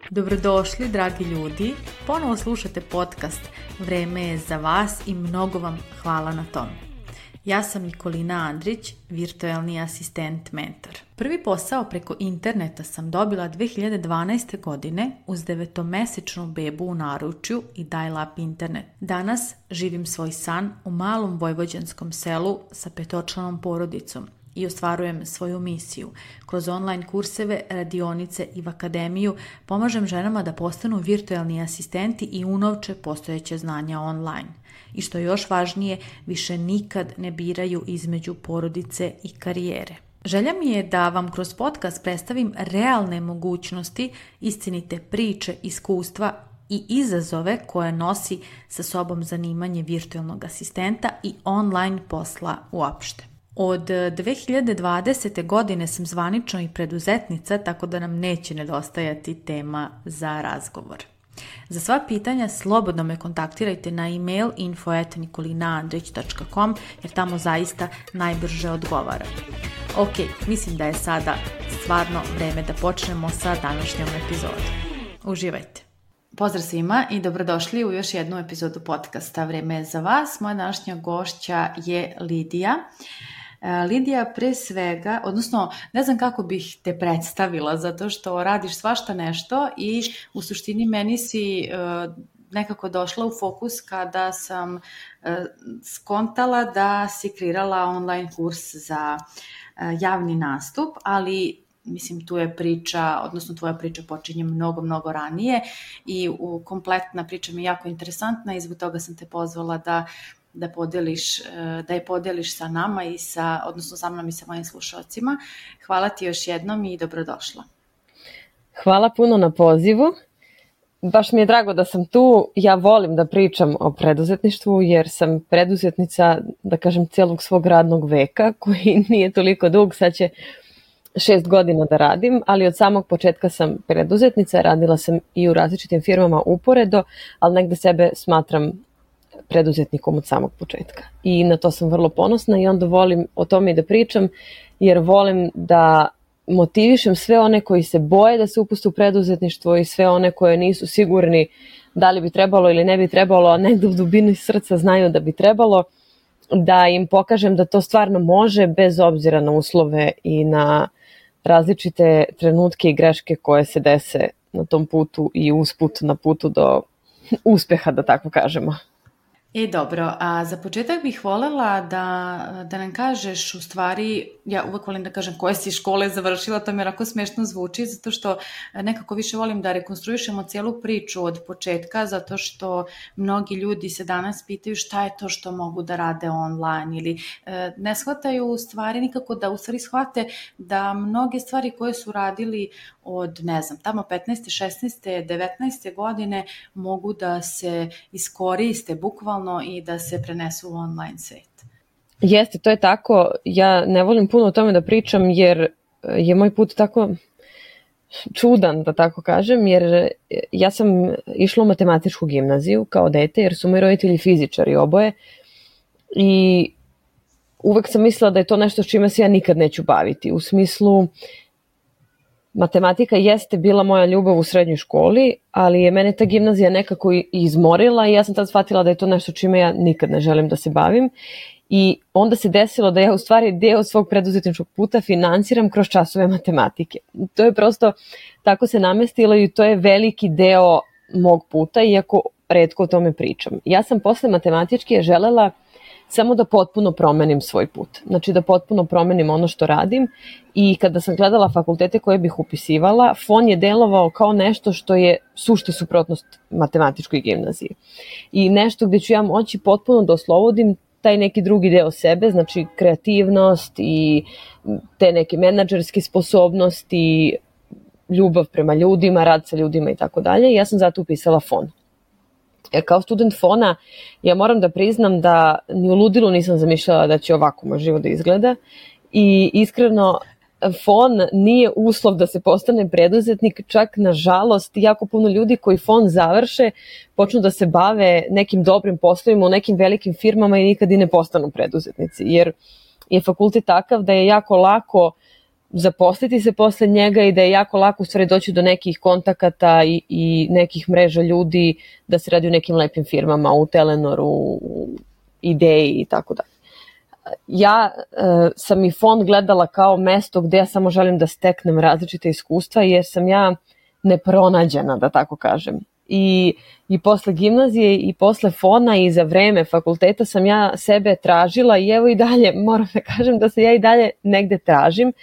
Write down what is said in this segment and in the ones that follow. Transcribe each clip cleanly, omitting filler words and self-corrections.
Dobrodošli, dragi ljudi. Ponovo slušate podcast Vreme je za vas i mnogo vam hvala na tom. Ja sam Nikolina Andrić, virtualni asistent mentor. Prvi posao preko interneta sam dobila 2012. godine uz 9-mesečnu bebu u naručju i dial-up internet. Danas živim svoj san u malom vojvođanskom selu sa 5-članom porodicom i ostvarujem svoju misiju. Kroz online kurseve, radionice i v akademiju pomažem ženama da postanu virtualni asistenti i unovče postojeće znanja online. I što je još važnije, više nikad ne biraju između porodice i karijere. Želja mi je da vam kroz podcast predstavim realne mogućnosti, istinite priče, iskustva i izazove koje nosi sa sobom zanimanje virtualnog asistenta i online posla uopšte. Od 2020. godine sam zvanično i preduzetnica, tako da nam neće nedostajati tema za razgovor. Za sva pitanja slobodno me kontaktirajte na email info@nikolinaandrić.com jer tamo zaista najbrže odgovaram. Ok, mislim da je sada stvarno vreme da počnemo sa današnjom epizodom. Uživajte! Pozdrav svima i dobrodošli u još jednu epizodu podcasta Vreme je za vas. Moja današnja gošća je Lidija. Lidija, pre svega, odnosno ne znam kako bih te predstavila zato što radiš svašta nešto i u suštini meni si nekako došla u fokus kada sam skontala da si kreirala online kurs za javni nastup, ali mislim tu je priča, odnosno tvoja priča počinje mnogo ranije i kompletna priča mi je jako interesantna i zbog toga sam te pozvala da je podeliš sa nama i odnosno sa mnom i sa mojim slušalcima. Hvala ti još jednom i dobrodošla. Hvala puno na pozivu. Baš mi je drago da sam tu. Ja volim da pričam o preduzetništvu jer sam preduzetnica, da kažem, cijelog svog radnog veka koji nije toliko dug, sad će 6 godina da radim, ali od samog početka sam preduzetnica, radila sam i u različitim firmama uporedo, ali negde sebe smatram preduzetnikom od samog početka. I na to sam vrlo ponosna i onda volim o tome i da pričam, jer volim da motivišem sve one koji se boje da se upuste u preduzetništvo i sve one koje nisu sigurni da li bi trebalo ili ne bi trebalo, a negde u dubini srca znaju da bi trebalo, da im pokažem da to stvarno može bez obzira na uslove i na različite trenutke i greške koje se dese na tom putu i usput na putu do uspeha, da tako kažemo. Dobro, a za početak bih voljela da nam kažeš, u stvari, ja uvek volim da kažem koje si škole završila, to mi jako smešno zvuči, zato što nekako više volim da rekonstruišemo cijelu priču od početka, zato što mnogi ljudi se danas pitaju šta je to što mogu da rade online ili ne shvataju u stvari nikako da u stvari shvate da mnoge stvari koje su radili od, ne znam, tamo 15. 16. 19. godine mogu da se iskoriste bukvalno i da se prenesu u online svet. Jeste, to je tako. Ja ne volim puno o tome da pričam jer je moj put tako čudan, da tako kažem, jer ja sam išla u matematičku gimnaziju kao dete jer su moji roditelji fizičari oboje i uvek sam mislila da je to nešto s čime se ja nikad neću baviti. U smislu, matematika jeste bila moja ljubav u srednjoj školi, ali je mene ta gimnazija nekako izmorila i ja sam tad shvatila da je to nešto čime ja nikad ne želim da se bavim. I onda se desilo da ja u stvari deo svog preduzetničkog puta finansiram kroz časove matematike. To je prosto, tako se namestilo i to je veliki deo mog puta, iako retko o tome pričam. Ja sam posle matematičke želela samo da potpuno promenim svoj put. Znači da potpuno promenim ono što radim i kada sam gledala fakultete koje bih upisivala, FON je delovao kao nešto što je sušta suprotnost matematičkoj gimnaziji. I nešto gdje ću ja moći potpuno da oslobodim taj neki drugi deo sebe, znači kreativnost i te neke menadžerske sposobnosti, ljubav prema ljudima, rad sa ljudima i tako dalje. Ja sam zato upisala FON. Kao student FON-a ja moram da priznam da ni u ludilu nisam zamišljala da će ovako moj život da izgleda i iskreno FON nije uslov da se postane preduzetnik, čak nažalost jako puno ljudi koji FON završe počnu da se bave nekim dobrim poslovima u nekim velikim firmama i nikad i ne postanu preduzetnici, jer je fakultet takav da je jako lako zaposliti se posle njega i da je jako lako u stvari doći do nekih kontakata i nekih mreža ljudi, da se radi u nekim lepim firmama, u Telenoru, u Ideji i tako dalje. Ja sam i fond gledala kao mesto gde ja samo želim da steknem različite iskustva, jer sam ja nepronađena, da tako kažem. I posle gimnazije i posle fona i za vreme fakulteta sam ja sebe tražila i evo i dalje, moram da kažem da se ja i dalje negde tražim.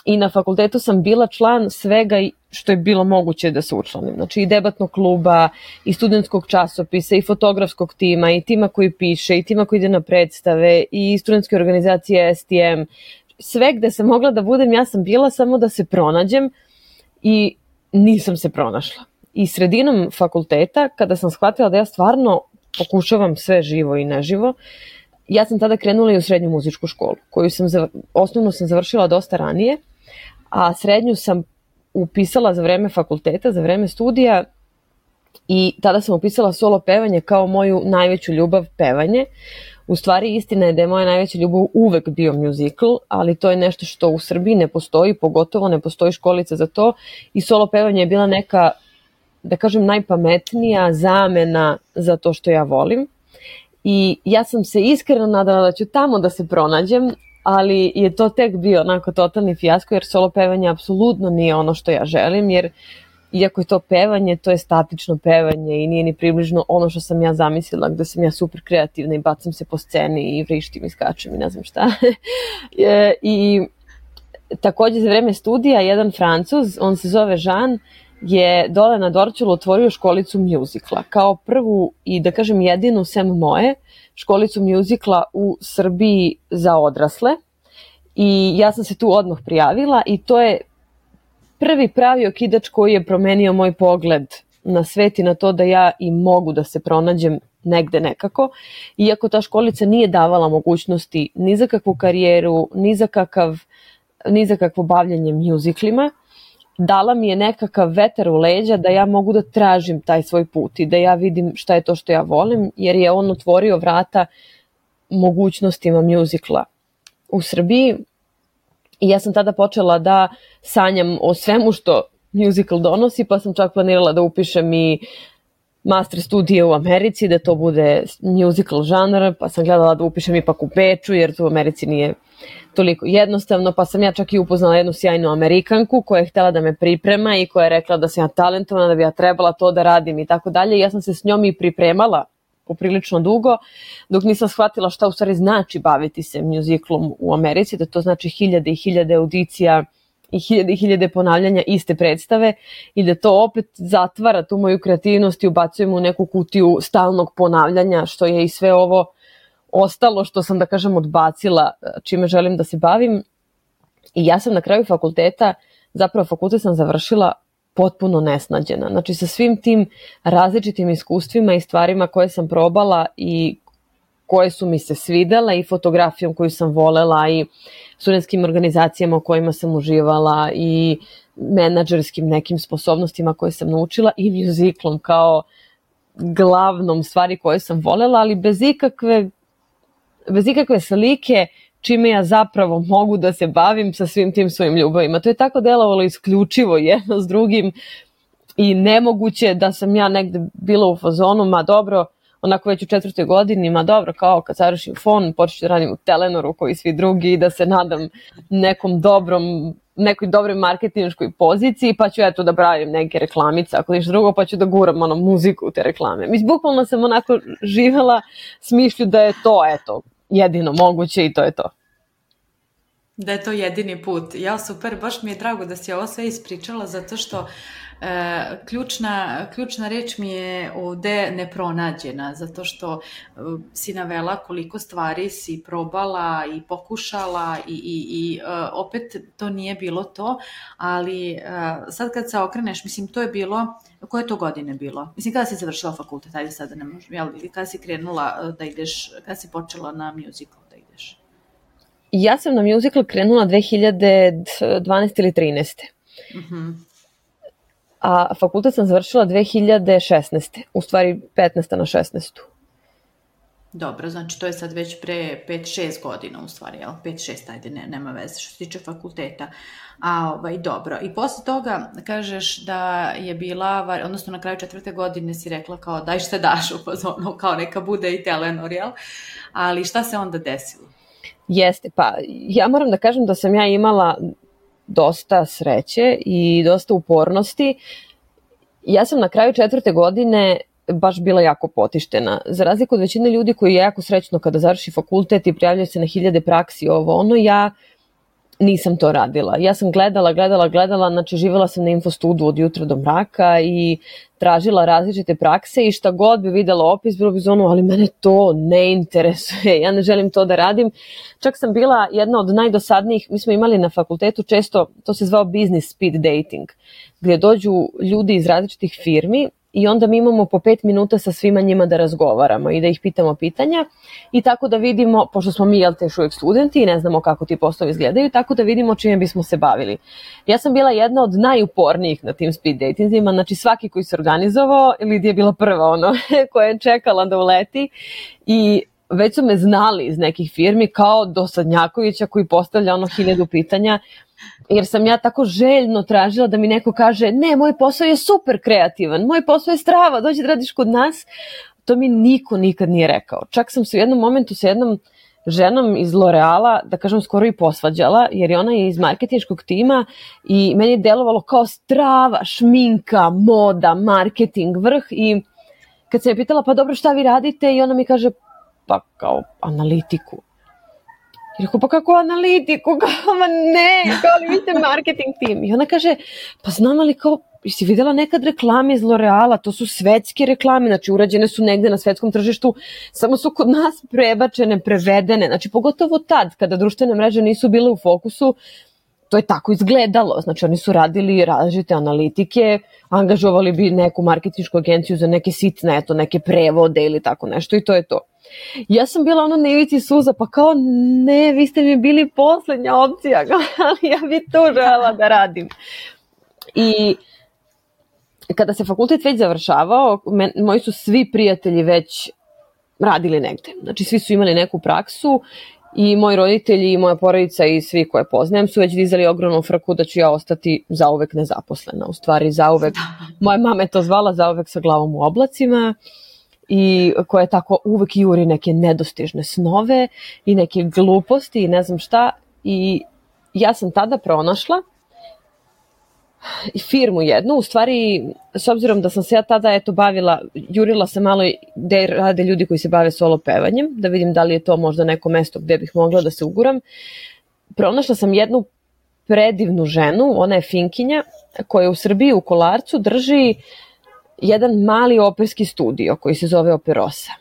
I na fakultetu sam bila član svega što je bilo moguće da se učlanim. Znači i debatnog kluba, i studentskog časopisa, i fotografskog tima, i tima koji piše, i tima koji ide na predstave, i studentske organizacije STM. Sve gde sam mogla da budem, ja sam bila samo da se pronađem i nisam se pronašla. I sredinom fakulteta, kada sam shvatila da ja stvarno pokušavam sve živo i neživo, ja sam tada krenula i u srednju muzičku školu, koju osnovnu sam završila dosta ranije, a srednju sam upisala za vreme fakulteta, za vreme studija, i tada sam upisala solo pevanje kao moju najveću ljubav, pevanje. U stvari istina je da je moja najveća ljubav uvek bio musical, ali to je nešto što u Srbiji ne postoji, pogotovo ne postoji školica za to, i solo pevanje je bila neka, da kažem, najpametnija zamena za to što ja volim. I ja sam se iskreno nadala da ću tamo da se pronađem, ali je to tek bio onako totalni fijasko, jer solo pevanje apsolutno nije ono što ja želim, jer iako je to pevanje, to je statično pevanje i nije ni približno ono što sam ja zamislila, gde sam ja super kreativna i bacam se po sceni i vrištim i skačem i ne znam šta. I takođe za vreme studija jedan Francuz, on se zove Jean, je dole na Dorćolu otvorio školicu mjuzikla, kao prvu i da kažem jedinu sem moje školicu mjuzikla u Srbiji za odrasle, i ja sam se tu odmah prijavila i to je prvi pravi okidač koji je promenio moj pogled na svet i na to da ja i mogu da se pronađem negde nekako, iako ta školica nije davala mogućnosti ni za kakvu karijeru, ni za kakvo bavljanje mjuziklima. Dala mi je nekakav vetar u leđa da ja mogu da tražim taj svoj put i da ja vidim šta je to što ja volim, jer je on otvorio vrata mogućnostima mjuzikla u Srbiji. I ja sam tada počela da sanjam o svemu što mjuzikl donosi, pa sam čak planirala da upišem i master studije u Americi, da to bude mjuzikl žanr, pa sam gledala da upišem ipak u Beču, jer to u Americi nije toliko jednostavno, pa sam ja čak i upoznala jednu sjajnu Amerikanku koja je htjela da me priprema i koja je rekla da sam ja talentovana, da bi ja trebala to da radim i tako dalje. Ja sam se s njom i pripremala poprilično dugo, dok nisam shvatila šta u stvari znači baviti se mjuziklom u Americi, da to znači hiljade i hiljade audicija i hiljade ponavljanja iste predstave i da to opet zatvara tu moju kreativnost i ubacujemo u neku kutiju stalnog ponavljanja, što je i sve ovo ostalo što sam, da kažem, odbacila čime želim da se bavim. I ja sam na kraju fakulteta, zapravo fakultet sam završila potpuno nesnađena. Znači sa svim tim različitim iskustvima i stvarima koje sam probala i koje su mi se svidele i fotografijom koju sam volela i studentskim organizacijama u kojima sam uživala i menadžerskim nekim sposobnostima koje sam naučila i mjuziklom kao glavnom stvari koje sam volela, ali bez ikakve slike čime ja zapravo mogu da se bavim sa svim tim svojim ljubavima. To je tako delovalo isključivo jedno s drugim i nemoguće da sam ja negde bila u fazonu, ma dobro, onako već u 4. godini, ma dobro, kao kad završim fon, počet da radim u Telenoru koji svi drugi i da se nadam nekoj dobroj marketinškoj poziciji, pa ću eto da pravim neke reklamice, ako ništa drugo, pa ću da guram muziku u te reklame. Mislim, bukvalno sam onako živela s mišlju da je to, eto, jedino moguće i to je to. Da je to jedini put. Ja, super, baš mi je drago da si ovo sve ispričala, zato što ključna reč mi je ovde nepronađena, zato što si navela koliko stvari si probala i pokušala i opet to nije bilo to, ali sad kad se okreneš, mislim, to je bilo, koje to godine bilo? Mislim, kada si završila fakultet, ajde sada ne možem, jel, kada si krenula da ideš, kada si počela na musical da ideš? Ja sam na musical krenula 2012 ili 13. A fakultet sam završila 2016. U stvari 15. na 16. Dobro, znači to je sad već pre 5-6 godina u stvari, jel? 5-6, ajde, nema veze što se tiče fakulteta. Dobro. I posle toga kažeš da je bila, odnosno na kraju 4. godine si rekla kao daj šta daš u fazonu, kao neka bude i Telenor, jel? Ali šta se onda desilo? Jeste, pa ja moram da kažem da sam ja imala dosta sreće i dosta upornosti. Ja sam na kraju 4. godine baš bila jako potištena. Za razliku od većine ljudi koji je jako srećno kada završi fakultet i prijavljaju se na 1000 praksi ja nisam to radila. Ja sam gledala, znači živjela sam na Infostudu od jutra do mraka i tražila različite prakse i šta god bi videla opis, bilo bi ali mene to ne interesuje, ja ne želim to da radim. Čak sam bila jedna od najdosadnijih, mi smo imali na fakultetu često, to se zvao business speed dating, gdje dođu ljudi iz različitih firmi i onda mi imamo po 5 minuta sa svima njima da razgovaramo i da ih pitamo pitanja i tako da vidimo, pošto smo mi još uvijek studenti i ne znamo kako ti poslovi izgledaju, tako da vidimo čime bismo se bavili. Ja sam bila jedna od najupornijih na tim speed datingima, znači svaki koji se organizovao, Lidija je bila prva koja je čekala da uleti i već su me znali iz nekih firmi kao dosadnjakovića koji postavlja 1000 pitanja, jer sam ja tako željno tražila da mi neko kaže ne, moj posao je super kreativan, moj posao je strava, dođi da radiš kod nas. To mi niko nikad nije rekao. Čak sam se u jednom momentu sa jednom ženom iz L'Oreala, da kažem, skoro i posvađala, jer je ona iz marketinškog tima i meni je delovalo kao strava, šminka, moda, marketing, vrh i kad sam je pitala pa dobro šta vi radite i ona mi kaže pa kao analitiku. I rekao, pa kako analitiku? Kao, ma ne, kao li vi ste marketing tim? I ona kaže, pa znam ali kao, si vidjela nekad reklame iz L'Oreala, to su svetske reklame, znači urađene su negde na svetskom tržištu, samo su kod nas prebačene, prevedene, znači pogotovo tad, kada društvene mreže nisu bile u fokusu, to je tako izgledalo, znači oni su radili različite analitike, angažovali bi neku marketinšku agenciju za neke sitne, neke prevode ili tako nešto i to je to. Ja sam bila na ivici suza, pa kao ne, vi ste mi bili posljednja opcija, ali ja bi to želela da radim. I kada se fakultet već završavao, moji su svi prijatelji već radili negde. Znači svi su imali neku praksu i moji roditelji i moja porodica i svi koje poznajem su već dizali ogromnu frku da ću ja ostati zauvek nezaposlena. U stvari zauvek, moja mama je to zvala zauvek sa glavom u oblacima i koja je tako uvek juri neke nedostižne snove i neke gluposti i ne znam šta. I ja sam tada pronašla firmu jednu, u stvari s obzirom da sam se ja tada bavila, jurila sam malo gde rade ljudi koji se bave solo pevanjem, da vidim da li je to možda neko mesto gde bih mogla da se uguram. Pronašla sam jednu predivnu ženu, ona je Finkinja, koja u Srbiji u Kolarcu drži jedan mali operski studio koji se zove Operosa.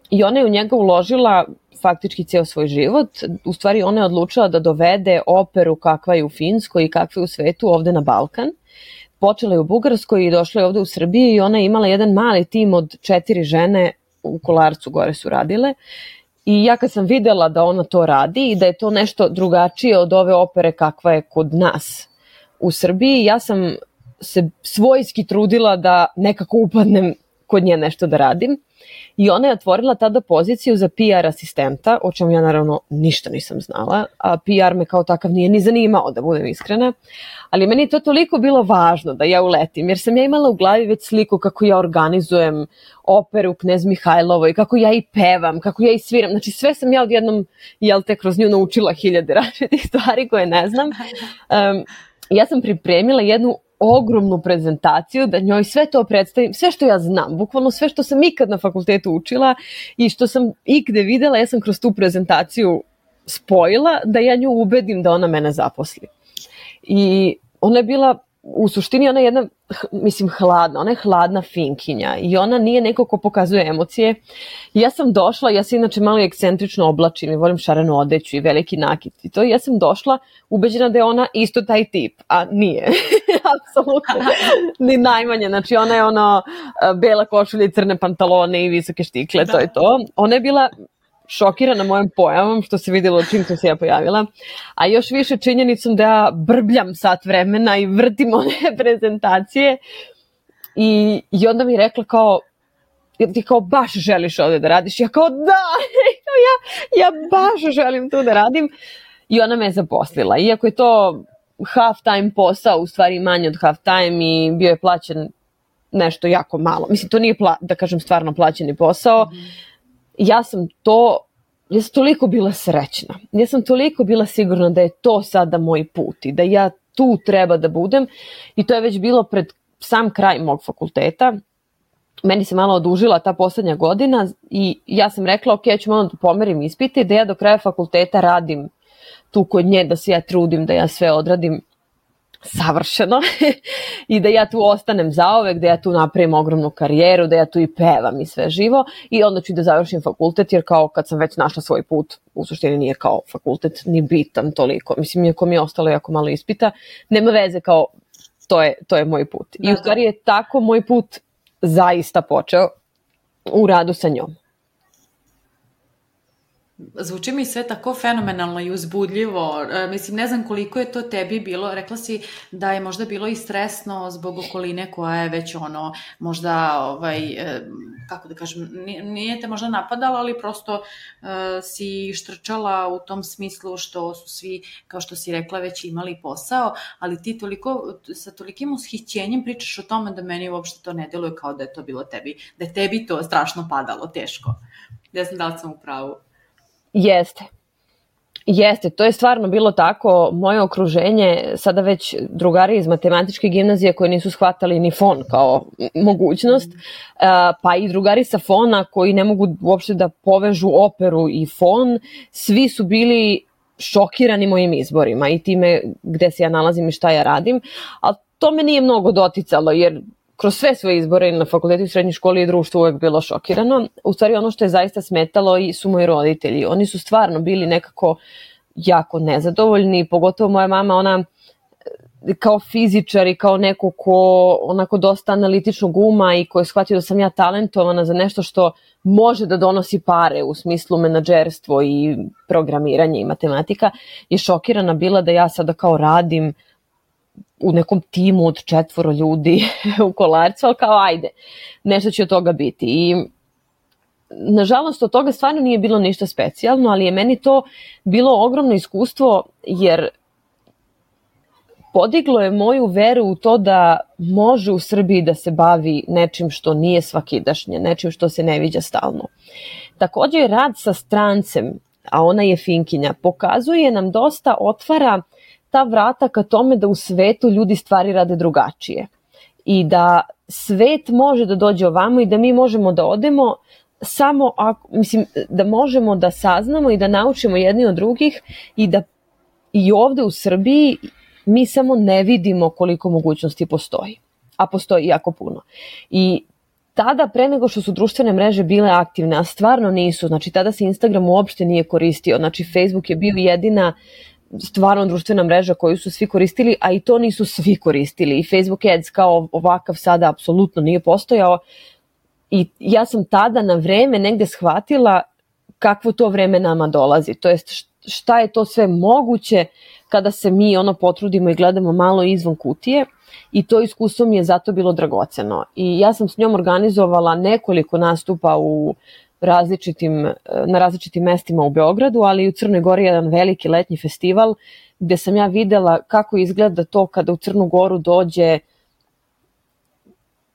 I ona je u njega uložila faktički ceo svoj život. U stvari ona je odlučila da dovede operu kakva je u Finskoj i kakva je u svetu ovde na Balkan. Počela je u Bugarskoj i došla je ovde u Srbiji i ona je imala jedan mali tim od 4 žene u Kolarcu gore su radile. I ja kad sam videla da ona to radi i da je to nešto drugačije od ove opere kakva je kod nas u Srbiji, ja sam se svojski trudila da nekako upadnem kod nje nešto da radim. I ona je otvorila tada poziciju za PR asistenta, o čemu ja naravno ništa nisam znala, a PR me kao takav nije ni zanimao, da budem iskrena, ali meni je to toliko bilo važno da ja uletim, jer sam ja imala u glavi već sliku kako ja organizujem operu Knez Mihajlovoj, kako ja i pevam, kako ja i sviram, znači sve sam ja odjednom, kroz nju naučila 1000 različitih stvari koje ne znam. Ja sam pripremila jednu ogromnu prezentaciju, da njoj sve to predstavim, sve što ja znam, bukvalno sve što sam ikad na fakultetu učila i što sam ikde videla, ja sam kroz tu prezentaciju spojila da ja nju ubedim da ona mene zaposli. I ona je bila, u suštini ona je jedna, hladna, ona je hladna Finkinja i ona nije neko ko pokazuje emocije. I ja sam došla, ja se inače malo ekscentrično oblačim i volim šarenu odeću i veliki nakit i to, ja sam došla ubeđena da je ona isto taj tip, a nije. Apsolutno, ni najmanje, znači ona je bela košulja i crne pantalone i visoke štikle, to je to. Ona je bila šokirana mojom pojavom, što se vidjelo čim sam se ja pojavila, a još više činjenicom da ja brbljam sat vremena i vrtim one prezentacije i onda mi je rekla kao, ti kao baš želiš ovde da radiš? Ja kao da, ja baš želim tu da radim. I ona me zaposlila. Iako je to half time posao, u stvari manje od half time i bio je plaćen nešto jako malo. Mislim, to nije, da kažem, stvarno plaćeni posao. Ja sam toliko bila srećna. Ja sam toliko bila sigurna da je to sada moj put i da ja tu treba da budem. I to je već bilo pred sam kraj mog fakulteta. Meni se malo odužila ta poslednja godina i ja sam rekla, ok, ja ću malo da pomerim ispite i da ja do kraja fakulteta radim tu kod nje, da se ja trudim, da ja sve odradim savršeno i da ja tu ostanem zaovek, da ja tu napravim ogromnu karijeru, da ja tu i pevam i sve živo i onda ću da završim fakultet, jer kao kad sam već našla svoj put, u suštini nije kao fakultet ni bitan toliko. Mislim, iako mi je ostalo jako malo ispita, nema veze, kao to je moj put. I u stvari je tako moj put zaista počeo u radu sa njom. Zvuči mi sve tako fenomenalno i uzbudljivo. Mislim, ne znam koliko je to tebi bilo. Rekla si da je možda bilo i stresno zbog okoline koja je već možda, kako da kažem, nije te možda napadala, ali prosto si štrčala u tom smislu što su svi, kao što si rekla, već imali posao, ali ti sa tolikim ushićenjem pričaš o tome da meni uopšte to ne deluje kao da je to bilo tebi, da je tebi to strašno padalo, teško. Ne znam da li sam u pravu. Jeste, to je stvarno bilo tako. Moje okruženje, sada već drugari iz matematičke gimnazije koji nisu shvatali ni fon kao mogućnost, pa i drugari sa fona koji ne mogu uopšte da povežu operu i fon, svi su bili šokirani mojim izborima i time gde se ja nalazim i šta ja radim, ali to me nije mnogo doticalo, jer kroz sve svoje izbore na fakultetu i srednjoj školi i društvu uvek bilo šokirano. U stvari ono što je zaista smetalo su moji roditelji. Oni su stvarno bili nekako jako nezadovoljni, pogotovo moja mama, ona kao fizičar i kao neko ko onako dosta analitičnog uma i ko je shvatio da sam ja talentovana za nešto što može da donosi pare u smislu menadžerstvo i programiranje i matematika, je šokirana bila da ja sada kao radim u nekom timu od 4 ljudi u Kolarcu, ali kao ajde, nešto će od toga biti. I nažalost od toga stvarno nije bilo ništa specijalno, ali je meni to bilo ogromno iskustvo, jer podiglo je moju veru u to da može u Srbiji da se bavi nečim što nije svakidašnje, nečim što se ne viđa stalno. Također rad sa strancem, a ona je Finkinja, pokazuje nam dosta, otvara ta vrata ka tome da u svetu ljudi stvari rade drugačije i da svet može da dođe ovamo i da mi možemo da odemo samo da možemo da saznamo i da naučimo jedni od drugih i da i ovde u Srbiji mi samo ne vidimo koliko mogućnosti postoji, a postoji jako puno. I tada, pre nego što su društvene mreže bile aktivne, a stvarno nisu, znači tada se Instagram uopšte nije koristio, znači Facebook je bio jedina stvarno društvena mreža koju su svi koristili, a i to nisu svi koristili. I Facebook Ads kao ovakav sada apsolutno nije postojao. I ja sam tada na vreme negde shvatila kakvo to vreme nama dolazi. To jest šta je to sve moguće kada se mi potrudimo i gledamo malo izvan kutije. I to iskustvo mi je zato bilo dragoceno. I ja sam s njom organizovala nekoliko nastupa na različitim mestima u Beogradu, ali i u Crnoj Gori jedan veliki letnji festival gde sam ja videla kako izgleda to kada u Crnu Goru dođe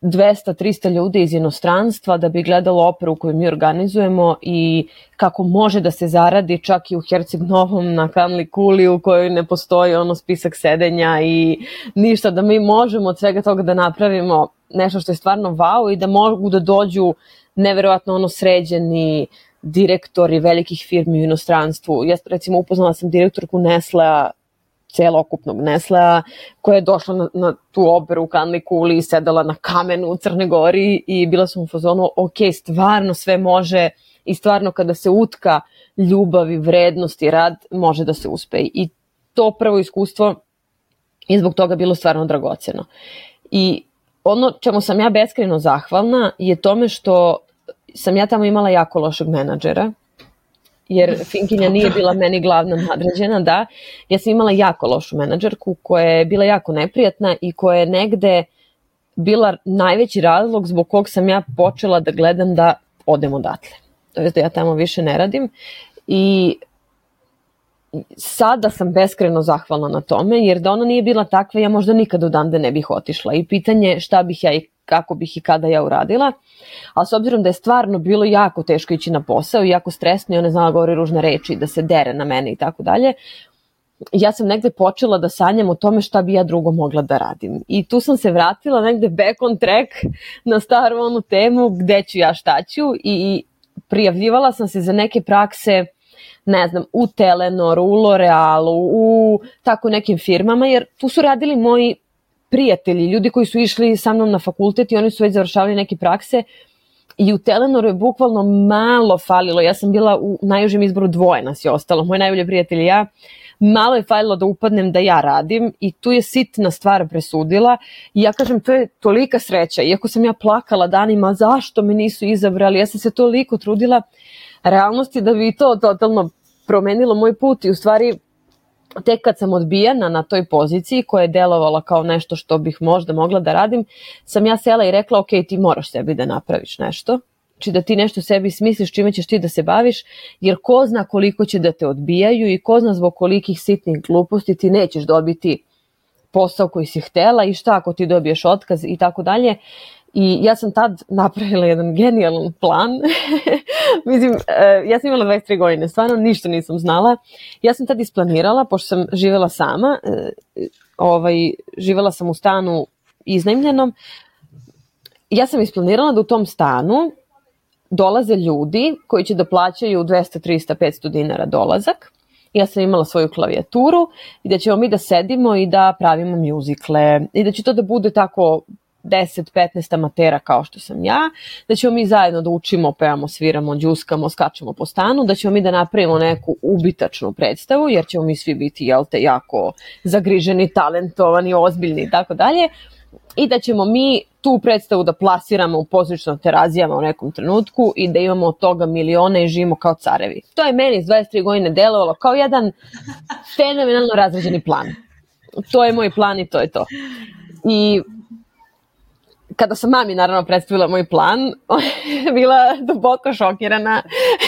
200-300 ljudi iz inostranstva da bi gledalo operu koju mi organizujemo i kako može da se zaradi čak i u Herceg Novom na Kanli Kuli u kojoj ne postoji spisak sedenja i ništa, da mi možemo od svega toga da napravimo nešto što je stvarno wow i da mogu da dođu neverovatno sređeni direktori velikih firmi u inostranstvu. Ja recimo upoznala sam direktorku Nestlea, celokupnog Nestlea, koja je došla na tu operu u Kanli Kuli i sedala na kamenu u Crnoj Gori i bila sam u fazonu, ok, stvarno sve može i stvarno kada se utka ljubav i vrednost i rad, može da se uspe. I to prvo iskustvo je zbog toga bilo stvarno dragoceno. I ono čemu sam ja beskrajno zahvalna je tome što sam ja tamo imala jako lošeg menadžera, jer Finkinja nije bila meni glavna nadređena, da. Ja sam imala jako lošu menadžerku koja je bila jako neprijatna i koja je negde bila najveći razlog zbog kog sam ja počela da gledam da odem odatle. To je da ja tamo više ne radim i sada sam beskrajno zahvalna na tome, jer da ona nije bila takva, ja možda nikada odande ne bih otišla i pitanje šta bih ja i kako bih i kada ja uradila, ali s obzirom da je stvarno bilo jako teško ići na posao i jako stresno i ona znala govori ružne reči, da se dere na mene i tako dalje, ja sam negde počela da sanjam o tome šta bi ja drugo mogla da radim. I tu sam se vratila negde back on track na staru onu temu gde ću ja šta ću i prijavljivala sam se za neke prakse, ne znam, u Telenoru, u L'Orealu, u tako nekim firmama, jer tu su radili moji prijatelji, ljudi koji su išli sa mnom na fakultet i oni su već završavali neke prakse i u Telenoru je bukvalno malo falilo. Ja sam bila u najužem izboru, 2 nas je ostalo, moj najbolji prijatelj i ja. Malo je falilo da upadnem da ja radim i tu je sitna stvar presudila i ja kažem, to je tolika sreća, iako sam ja plakala danima zašto me nisu izabrali, ja sam se toliko trudila, realnost je da bi to totalno promenilo moj put i u stvari tek kad sam odbijena na toj poziciji koja je delovala kao nešto što bih možda mogla da radim, sam ja sela i rekla ok, ti moraš sebi da napraviš nešto, znači da ti nešto sebi smisliš čime ćeš ti da se baviš, jer ko zna koliko će da te odbijaju i ko zna zbog kolikih sitnih gluposti ti nećeš dobiti posao koji si htela i šta ako ti dobiješ otkaz i tako dalje. I ja sam tad napravila jedan genijalan plan. Mislim, ja sam imala 23 godine, stvarno ništa nisam znala. Ja sam tad isplanirala, pošto sam živela sama, živela sam u stanu iznajmljenom, ja sam isplanirala da u tom stanu dolaze ljudi koji će da plaćaju 200, 300, 500 dinara dolazak. Ja sam imala svoju klavijaturu i da ćemo mi da sedimo i da pravimo mjuzikle i da će to da bude tako 10-15 amatera kao što sam ja, da ćemo mi zajedno da učimo, pevamo, sviramo, džuskamo, skačemo po stanu, da ćemo mi da napravimo neku ubitačnu predstavu, jer ćemo mi svi biti, jel te, jako zagriženi, talentovani, ozbiljni i tako dalje, i da ćemo mi tu predstavu da plasiramo u pozorišnim terazijama u nekom trenutku i da imamo od toga milione i živimo kao carevi. To je meni s 23 godine delovalo kao jedan fenomenalno razrađeni plan. To je moj plan i to je to. I kada sam mami naravno predstavila moj plan, ona je bila duboko šokirana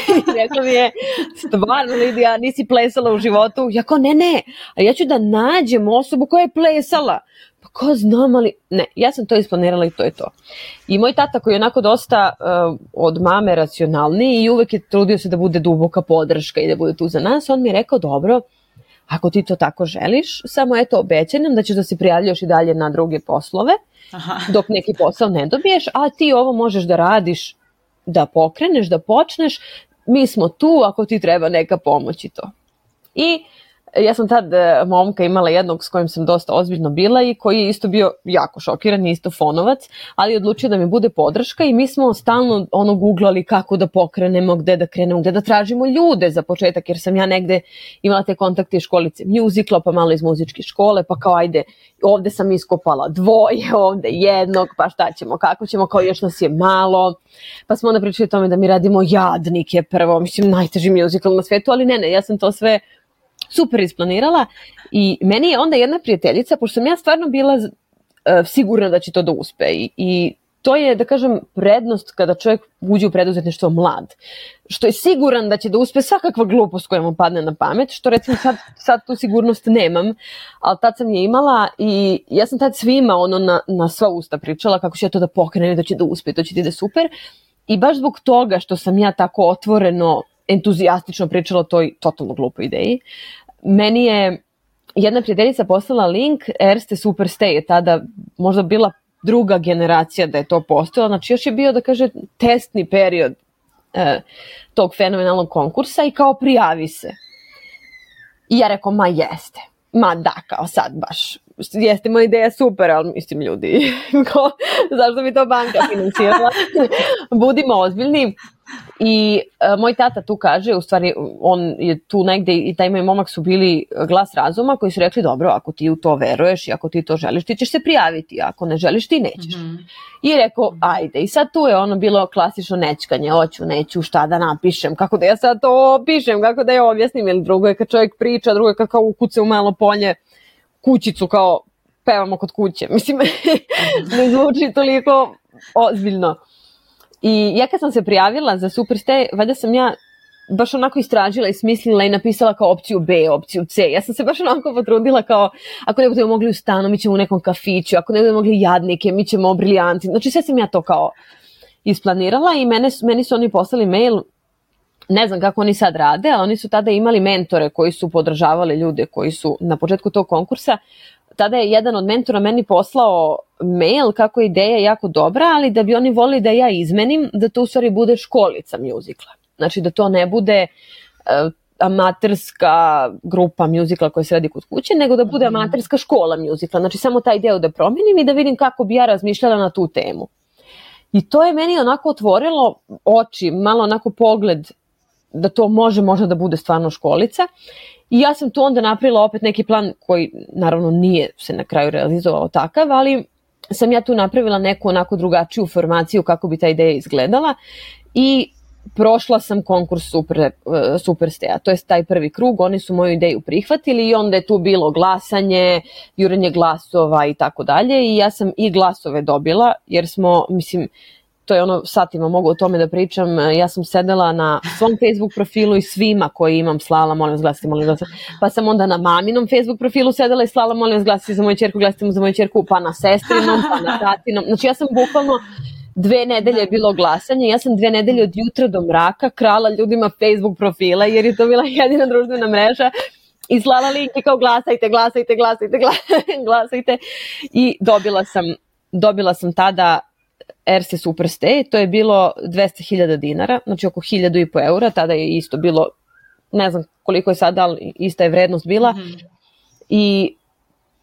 i rekla mi je, stvarno Lidija, nisi plesala u životu? Ja kao, ne, a ja ću da nađem osobu koja je plesala. Pa ko znam, ali ne, ja sam to isplanirala i to je to. I moj tata koji je onako dosta od mame racionalniji i uvek je trudio se da bude duboka podrška i da bude tu za nas, on mi je rekao, dobro, ako ti to tako želiš, samo eto obećaj nam da ćeš da se prijavljaš i dalje na druge poslove, dok neki posao ne dobiješ, a ti ovo možeš da radiš, da pokreneš, da počneš, mi smo tu ako ti treba neka pomoć i to. I ja sam tad momka imala jednog s kojim sam dosta ozbiljno bila i koji je isto bio jako šokiran, isto fonovac, ali je odlučio da mi bude podrška i mi smo stalno googlali kako da pokrenemo, gde da krenemo, gde da tražimo ljude za početak, jer sam ja negde imala te kontakte iz školice mjuzikla, pa malo iz muzičke škole, pa kao ajde, ovde sam iskopala 2, ovde 1, pa šta ćemo, kako ćemo, kao još nas je malo, pa smo onda pričali o tome da mi radimo Jadnike prvo, mislim najteži mjuzikl na svetu, ali ne, ja sam to sve super isplanirala i meni je onda jedna prijateljica, pošto sam ja stvarno bila sigurna da će to da uspe i to je, da kažem, prednost kada čovjek uđe u preduzetništvo mlad, što je siguran da će da uspe svakakva glupost koja mu padne na pamet, što recimo sad tu sigurnost nemam, ali tad sam je imala i ja sam tad svima na sva usta pričala kako će ja to da pokrenem, da će da uspe, to će ti da super i baš zbog toga što sam ja tako otvoreno entuzijastično pričala o toj totalno glupoj ideji. Meni je jedna prijateljica poslala link, Erste Superstay je tada možda bila druga generacija da je to postojalo, znači još je bio, da kaže, testni period tog fenomenalnog konkursa i kao prijavi se. I ja rekao, ma jeste, ma da, kao sad baš, jeste moja ideja super, ali mislim ljudi, zašto bi to banka financirala? Budimo ozbiljni. I moj tata tu kaže, u stvari on je tu negde i taj moj momak su bili glas razuma koji su rekli dobro, ako ti u to veruješ i ako ti to želiš, ti ćeš se prijaviti, ako ne želiš ti nećeš. I rekao ajde, i sad tu je bilo klasično nećkanje, hoću, neću, šta da napišem, kako da ja sad to opišem, kako da ja objasnim, jer drugo je kad čovjek priča, drugo je kad kao ukuce u malo polje kućicu kao pevamo kod kuće. Mislim, ne zvuči toliko ozbiljno. I ja kad sam se prijavila za Superste, valjda sam ja baš onako istražila i smislila i napisala kao opciju B, opciju C. Ja sam se baš onako potrudila kao, ako ne budemo mogli u stanu, mi ćemo u nekom kafiću, ako ne budemo mogli jadnike, mi ćemo briljanti. Znači sve sam ja to kao isplanirala i meni su oni poslali mail, ne znam kako oni sad rade, ali oni su tada imali mentore koji su podržavali ljude koji su na početku tog konkursa. Tada je jedan od mentora meni poslao mail kako je ideja jako dobra, ali da bi oni volili da ja izmenim, da to u stvari bude školica mjuzikla. Znači da to ne bude amaterska grupa mjuzikla koja se radi kod kuće, nego da bude amaterska škola mjuzikla. Znači samo taj deo da promenim i da vidim kako bi ja razmišljala na tu temu. I to je meni onako otvorilo oči, malo onako pogled da to može možda da bude stvarno školica. I ja sam tu onda napravila opet neki plan koji naravno nije se na kraju realizovao takav, ali sam ja tu napravila neku onako drugačiju formaciju kako bi ta ideja izgledala i prošla sam konkurs Supersteja, to je taj prvi krug, oni su moju ideju prihvatili i onda je tu bilo glasanje, jurenje glasova i tako dalje i ja sam i glasove dobila jer smo, mislim, to je ono, satima mogu o tome da pričam, ja sam sedela na svom Facebook profilu i svima koji imam slala, molim vas glasite, pa sam onda na maminom Facebook profilu sedela i slala, molim vas glasite za moju ćerku, glasite za moju ćerku, pa na sestrinom, pa na tatinom, znači ja sam bukvalno 2 nedelje je bilo glasanje, ja sam 2 nedelje od jutra do mraka krala ljudima Facebook profila jer je to bila jedina društvena mreža i slala linke kao glasajte i dobila sam tada Erste Superste, to je bilo 200.000 dinara, znači oko 1.500 eura, tada je isto bilo, ne znam koliko je sada, ali ista je vrednost bila. I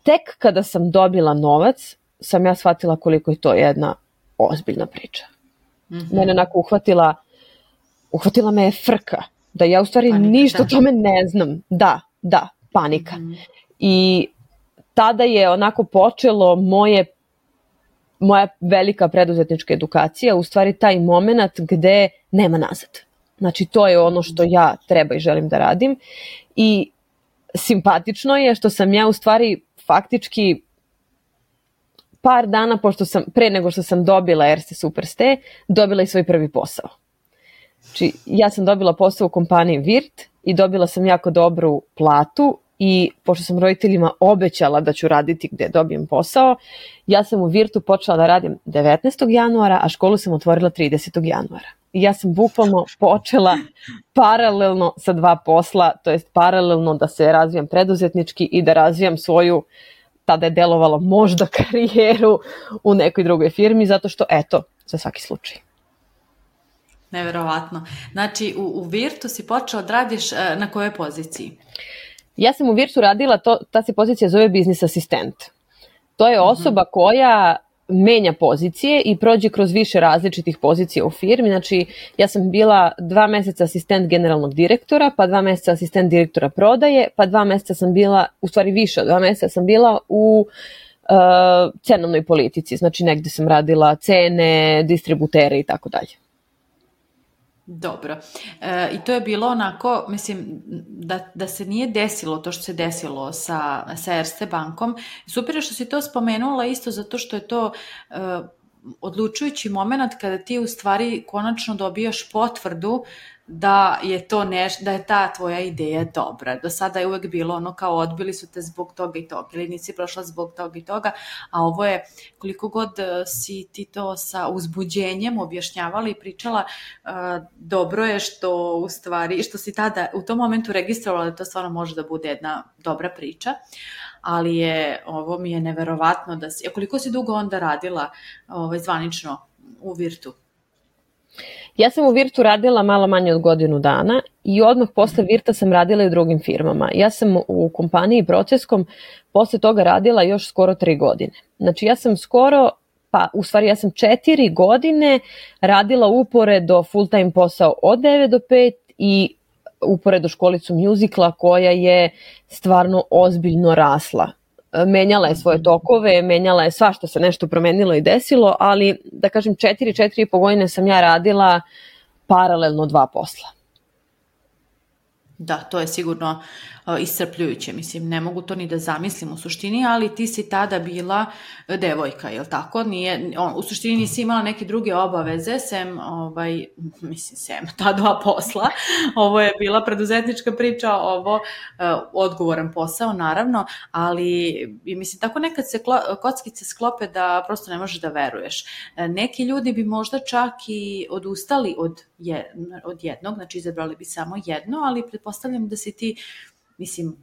tek kada sam dobila novac, sam ja shvatila koliko je to jedna ozbiljna priča. Mene onako uhvatila me je frka, da ja u stvari ništa o tome ne znam. Da, panika. I tada je onako počelo moja velika preduzetnička edukacija, u stvari taj moment gde nema nazad. Znači to je ono što ja treba i želim da radim i simpatično je što sam ja u stvari faktički par dana pre nego što sam dobila Erste Superste, dobila i svoj prvi posao. Znači ja sam dobila posao u kompaniji Virt i dobila sam jako dobru platu i pošto sam roditeljima obećala da ću raditi gde dobijem posao, ja sam u Virtu počela da radim 19. januara, a školu sam otvorila 30. januara. I ja sam bukvalno počela paralelno sa 2 posla, to jest paralelno da se razvijam preduzetnički i da razvijam svoju, tada je delovalo možda karijeru u nekoj drugoj firmi, zato što eto, za svaki slučaj. Neverovatno. Znači u Virtu si počela da radiš na kojoj poziciji? Ja sam u Virtu radila, ta se pozicija zove biznis asistent. To je osoba koja menja pozicije i prođe kroz više različitih pozicija u firmi. Znači, ja sam bila 2 meseca asistent generalnog direktora, pa 2 meseca asistent direktora prodaje, pa 2 meseca sam bila, u stvari više od 2 meseca sam bila u cenovnoj politici. Znači, negde sam radila cene, distributere i tako dalje. Dobro. I to je bilo onako, mislim, da se nije desilo to što se desilo sa Erste bankom. Super je što si to spomenula isto zato što je to odlučujući moment kada ti u stvari konačno dobijaš potvrdu da je to da je ta tvoja ideja dobra. Do sada je uvek bilo ono kao odbili su te zbog toga i toga ili nisi prošla zbog toga i toga, a ovo je koliko god si ti to sa uzbuđenjem objašnjavala i pričala, dobro je što u stvari, što si tada u tom momentu registrovala da to stvarno može da bude jedna dobra priča, ali ovo mi je neverovatno da si, koliko si dugo onda radila zvanično u Virtu? Ja sam u Virtu radila malo manje od godinu dana i odmah posle Virta sam radila i u drugim firmama. Ja sam u kompaniji Proceskom posle toga radila još skoro 3 godine. Znači ja sam ja sam 4 godine radila uporedo full time posao od 9 do 5 i uporedo školicu mjuzikla koja je stvarno ozbiljno rasla. Menjala je svoje tokove, menjala je svašta se nešto promenilo i desilo, ali da kažem 4,5 godine sam ja radila paralelno 2 posla. Da, to je sigurno iscrpljujuće, mislim, ne mogu to ni da zamislim u suštini, ali ti si tada bila devojka, jel tako? U suštini nisi imala neke druge obaveze, sem ta dva posla, ovo je bila preduzetnička priča, ovo odgovoran posao, naravno, ali mislim, tako nekad se kockice sklope da prosto ne možeš da veruješ. Neki ljudi bi možda čak i odustali od jednog, znači izabrali bi samo jedno, ali pretpostavljam da si ti, mislim,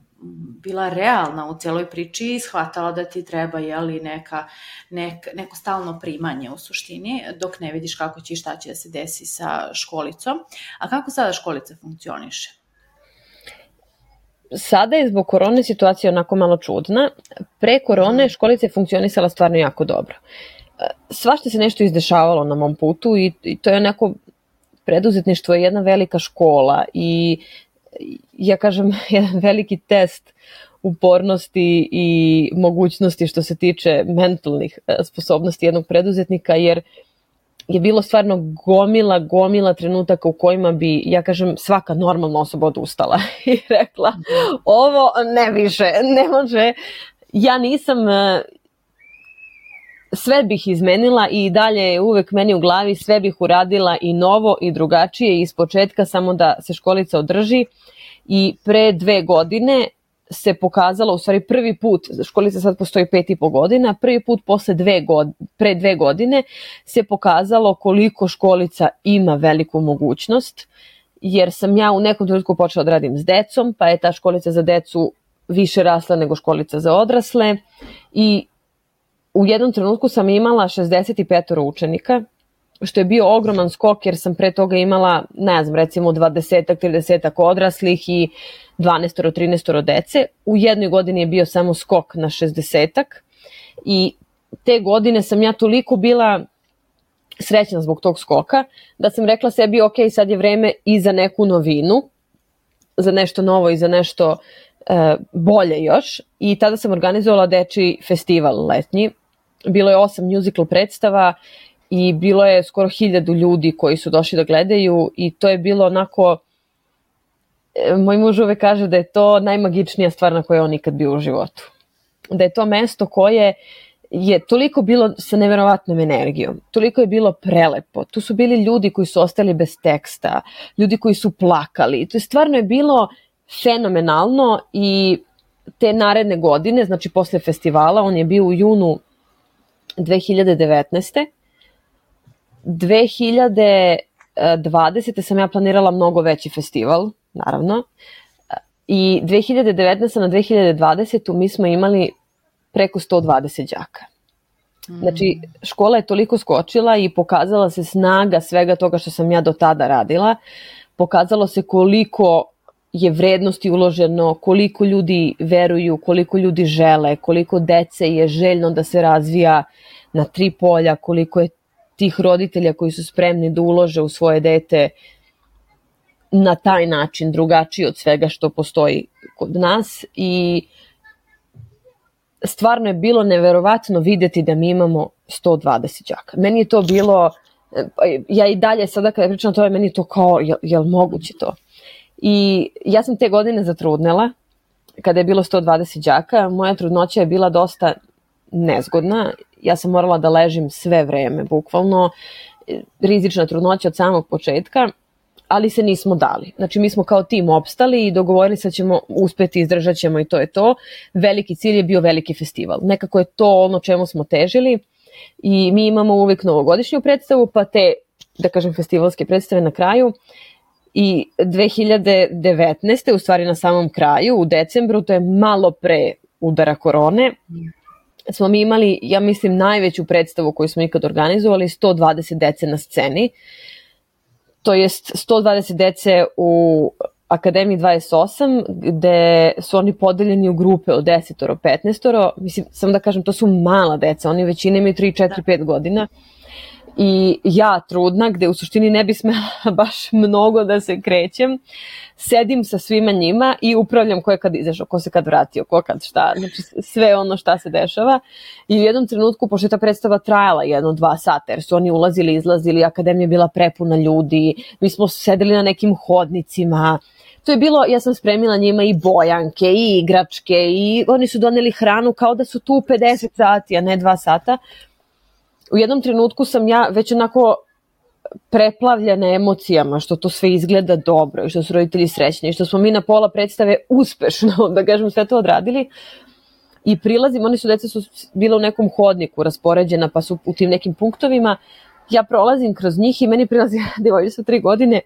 bila realna u celoj priči i shvatala da ti treba neko stalno primanje u suštini, dok ne vidiš kako će i šta će da se desi sa školicom. A kako sada školica funkcioniše? Sada je zbog korone situacija onako malo čudna. Pre korone školica je funkcionisala stvarno jako dobro. Svašta se nešto izdešavalo na mom putu i to je onako, preduzetništvo je jedna velika škola i ja kažem jedan veliki test upornosti i mogućnosti što se tiče mentalnih sposobnosti jednog preduzetnika, jer je bilo stvarno gomila trenutaka u kojima bi, ja kažem, svaka normalna osoba odustala i rekla ovo ne više, ne može. Ja nisam, sve bih izmenila i dalje je uvek meni u glavi, sve bih uradila i novo i drugačije iz početka, samo da se školica održi. I pre 2 godine se pokazalo, u stvari prvi put, školica sad postoji 5,5 godina, prvi put pre 2 godine se pokazalo koliko školica ima veliku mogućnost, jer sam ja u nekom trenutku počela da radim s decom, pa je ta školica za decu više rasla nego školica za odrasle i u jednom trenutku sam imala 65 učenika, što je bio ogroman skok, jer sam pre toga imala, ne znam, recimo 20-30 odraslih i 12-13 dece. U jednoj godini je bio samo skok na 60 i te godine sam ja toliko bila srećna zbog tog skoka da sam rekla sebi, ok, sad je vreme i za neku novinu, za nešto novo i za nešto bolje još. I tada sam organizovala dečiji festival letnji. Bilo je 8 musical predstava i bilo je skoro 1000 ljudi koji su došli da gledaju i to je bilo onako, moj muž uvek kaže da je to najmagičnija stvar na kojoj on nikad bio u životu. Da je to mesto koje je toliko bilo sa neverovatnom energijom, toliko je bilo prelepo. Tu su bili ljudi koji su ostali bez teksta, ljudi koji su plakali. To je stvarno je bilo fenomenalno i te naredne godine, znači posle festivala, on je bio u junu 2019. 2020. sam ja planirala mnogo veći festival, naravno, i 2019. na 2020. mi smo imali preko 120 đaka. Znači, škola je toliko skočila i pokazala se snaga svega toga što sam ja do tada radila. Pokazalo se koliko je vrednosti uloženo, koliko ljudi veruju, koliko ljudi žele, koliko dece je željno da se razvija na 3 polja, koliko je tih roditelja koji su spremni da ulože u svoje dete na taj način, drugačiji od svega što postoji kod nas. I stvarno je bilo neverovatno vidjeti da mi imamo 120 đaka. Meni je to bilo, ja i dalje sada kada pričam to, meni je to kao, jel moguće to? I ja sam te godine zatrudnela, kada je bilo 120 đaka, moja trudnoća je bila dosta nezgodna, ja sam morala da ležim sve vreme, bukvalno, rizična trudnoća od samog početka, ali se nismo dali. Znači mi smo kao tim opstali i dogovorili se da ćemo uspeti, izdržat ćemo i to je to. Veliki cilj je bio veliki festival. Nekako je to ono čemu smo težili i mi imamo uvijek novogodišnju predstavu, pa te, da kažem, festivalske predstave na kraju. I 2019. u stvari na samom kraju, u decembru, to je malo pre udara korone, smo mi imali, ja mislim, najveću predstavu koju smo ikad organizovali, 120 dece na sceni. To jest 120 dece u Akademiji 28, gde su oni podeljeni u grupe od 10-15. Mislim, samo da kažem, to su mala deca, oni većina imaju 3, 4, 5 godina. I ja trudna, gde u suštini ne bi smela baš mnogo da se krećem, sedim sa svima njima i upravljam ko je kad izašao, ko se kad vratio, ko kad šta, znači sve ono šta se dešava. I u jednom trenutku, pošto je ta predstava trajala 1-2 sata, jer su oni ulazili, izlazili, akademija je bila prepuna ljudi, mi smo sedeli na nekim hodnicima, to je bilo, ja sam spremila njima i bojanke i igračke i oni su doneli hranu kao da su tu 50 sati, a ne 2 sata. U jednom trenutku sam ja već onako preplavljena emocijama, što to sve izgleda dobro i što su roditelji srećni i što smo mi na pola predstave uspešno, da kažem, sve to odradili. I prilazim, deca su bila u nekom hodniku raspoređena, pa su u tim nekim punktovima. Ja prolazim kroz njih i meni prilazi devojčica 3 godine,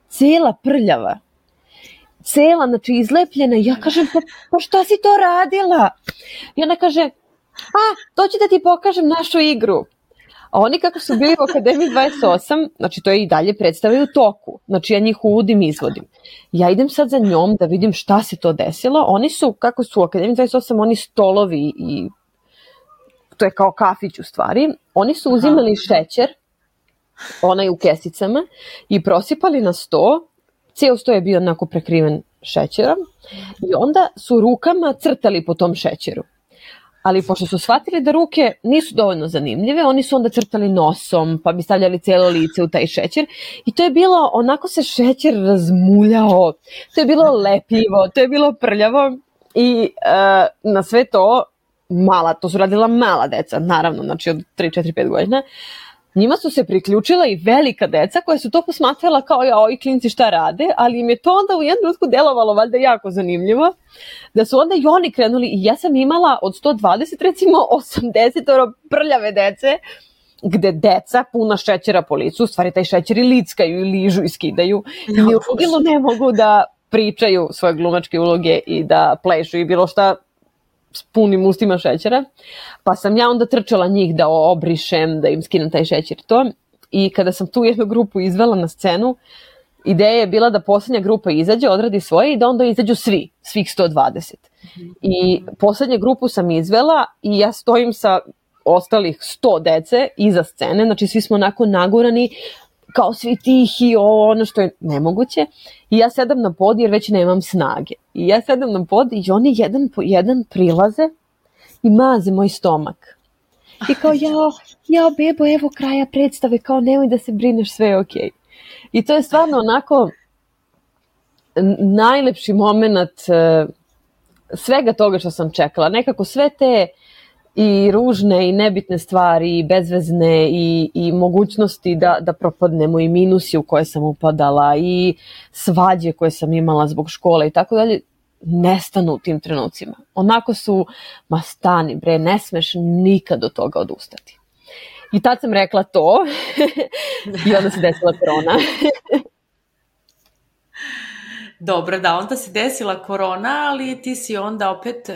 cela prljava. Cela, znači izlepljena. Ja kažem, pa šta si to radila? I ona kaže, dođi da ti pokažem našu igru. A oni kako su bili u Akademiji 28, znači to je i dalje predstave u toku. Znači ja njih uvodim i izvodim. Ja idem sad za njom da vidim šta se to desilo. Oni su, kako su u Akademiji 28, oni stolovi i to je kao kafić u stvari. Oni su uzimali šećer, onaj u kesicama, i prosipali na sto. Cijel sto je bio onako prekriven šećerom i onda su rukama crtali po tom šećeru. Ali pošto su shvatili da ruke nisu dovoljno zanimljive, oni su onda crtali nosom, pa bi stavljali cijelo lice u taj šećer. I to je bilo, onako se šećer razmuljao, to je bilo lepljivo, to je bilo prljavo. I na sve to, to su radila mala deca, naravno, znači od 3, 4, 5 godina. Njima su se priključila i velika deca koja su to posmatrala kao ovi klinci šta rade, ali im je to onda u jednom trenutku delovalo valjda jako zanimljivo, da su onda i oni krenuli i ja sam imala od 120 recimo 80 prljave dece, gde deca puna šećera po licu, u stvari taj šećer i lickaju i ližu i skidaju i ni u ludilu ne mogu da pričaju svoje glumačke uloge i da plešu i bilo šta s punim ustima šećera, pa sam ja onda trčala njih da obrišem, da im skinem taj šećer to. I kada sam tu jednu grupu izvela na scenu, ideja je bila da poslednja grupa izađe, odradi svoje i da onda izađu svih 120. I poslednju grupu sam izvela i ja stojim sa ostalih 100 dece iza scene, znači svi smo onako nagurani, kao svi tihi, ono što je nemoguće. I ja sedam na pod jer već nemam snage. I ja sedam na pod i oni jedan po jedan prilaze i maze moj stomak. I kao, jao bebo, evo kraja predstave, kao nemoj da se brineš, sve je okej. I to je stvarno onako najlepši moment svega toga što sam čekala. Nekako sve te i ružne i nebitne stvari i bezvezne i mogućnosti da propadnemo i minusi u koje sam upadala i svađe koje sam imala zbog škole i tako dalje, nestanu u tim trenucima. Onako su, ma stani bre, ne smeš nikad od toga odustati. I tad sam rekla to i onda se desila korona. Dobro, da, onda se desila korona, ali ti si onda opet...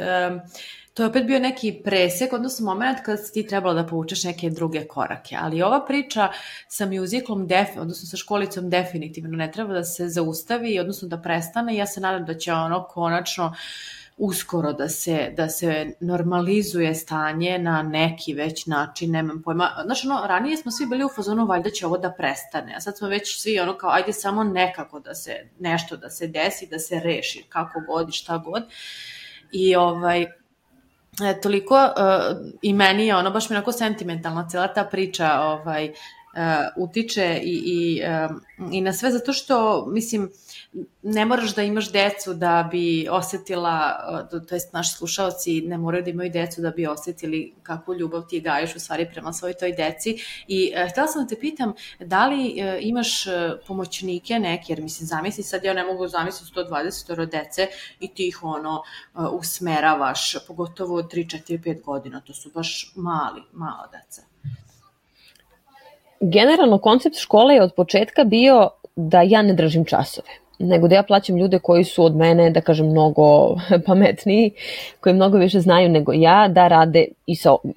To je opet bio neki presek, odnosno moment kada si ti trebala da povučeš neke druge korake. Ali ova priča sa muziklom, odnosno sa školicom, definitivno ne treba da se zaustavi, odnosno da prestane. Ja se nadam da će ono konačno uskoro da se normalizuje stanje na neki već način, nemam pojma. Znači, ranije smo svi bili u fazonu, valjda će ovo da prestane, a sad smo već svi ono kao, ajde samo nekako nešto da se desi, da se reši, kako god i šta god. I toliko i meni je baš mi onako sentimentalna cijela ta priča utiče i na sve, zato što mislim ne moraš da imaš decu da bi osetila, to jest naši slušaoci ne moraju da imaju decu da bi osetili kakvu ljubav ti gajiš u stvari prema svojoj toj deci. I htjela sam da te pitam, da li imaš pomoćnike neke, jer mislim zamisli sad, ja ne mogu zamisliti 120 dece i ti ih usmeravaš, pogotovo 3, 4, 5 godina, to su baš mala deca. Generalno koncept škole je od početka bio da ja ne držim časove, nego da ja plaćam ljude koji su od mene, da kažem, mnogo pametniji, koji mnogo više znaju nego ja, da rade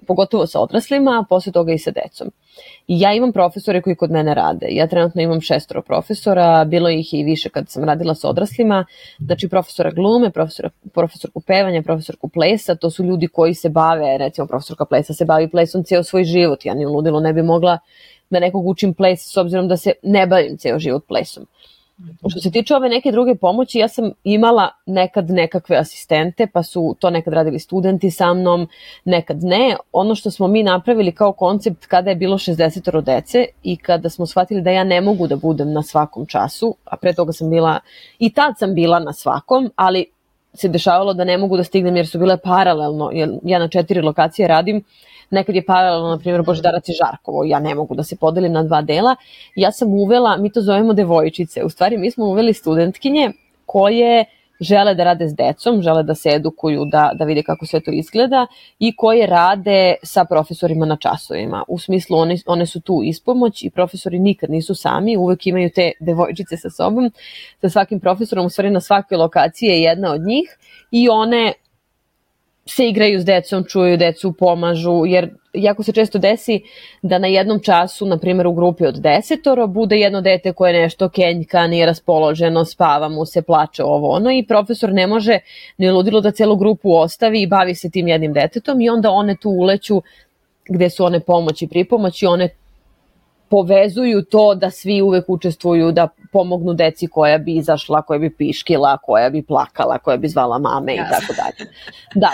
pogotovo sa odraslima, a posle toga i sa decom. I ja imam profesore koji kod mene rade. Ja trenutno imam 6 profesora, bilo ih i više kad sam radila sa odraslima, znači profesora glume, profesorku pevanja, profesorku plesa, to su ljudi koji se bave, recimo profesorka plesa se bavi plesom ceo svoj život, ja ni u ludilu ne bi mogla da nekog učim ples s obzirom da se ne bavim ceo život plesom. Što se tiče ove neke druge pomoći, ja sam imala nekad nekakve asistente, pa su to nekad radili studenti sa mnom, nekad ne. Ono što smo mi napravili kao koncept kada je bilo 60 dece i kada smo shvatili da ja ne mogu da budem na svakom času, a pre toga sam bila, i tad sam bila na svakom, ali se dešavalo da ne mogu da stignem jer su bile paralelno, jer ja na 4 lokacije radim, nekad je paralelno, na primjer, Božidarac i Žarkovo, ja ne mogu da se podelim na 2 dela. Ja sam uvela, mi to zovemo devojčice, u stvari mi smo uveli studentkinje koje žele da rade s decom, žele da se edukuju, da vide kako sve to izgleda i koje rade sa profesorima na časovima. U smislu one su tu ispomoć i profesori nikad nisu sami, uvek imaju te devojčice sa sobom, sa svakim profesorom, u stvari na svakoj lokaciji je jedna od njih i one se igraju s decom, čuju decu, pomažu, jer jako se često desi da na jednom času, na primjer u grupi od 10 bude jedno dete koje nešto kenjka, nije raspoloženo, spava mu se, plače ovo ono i profesor ne može ni ludilo da celu grupu ostavi i bavi se tim jednim detetom i onda one tu uleću gde su one pomoć i pripomoć i one povezuju to da svi uvek učestvuju, da pomognu deci koja bi izašla, koja bi piškila, koja bi plakala, koja bi zvala mame i tako dalje. Da.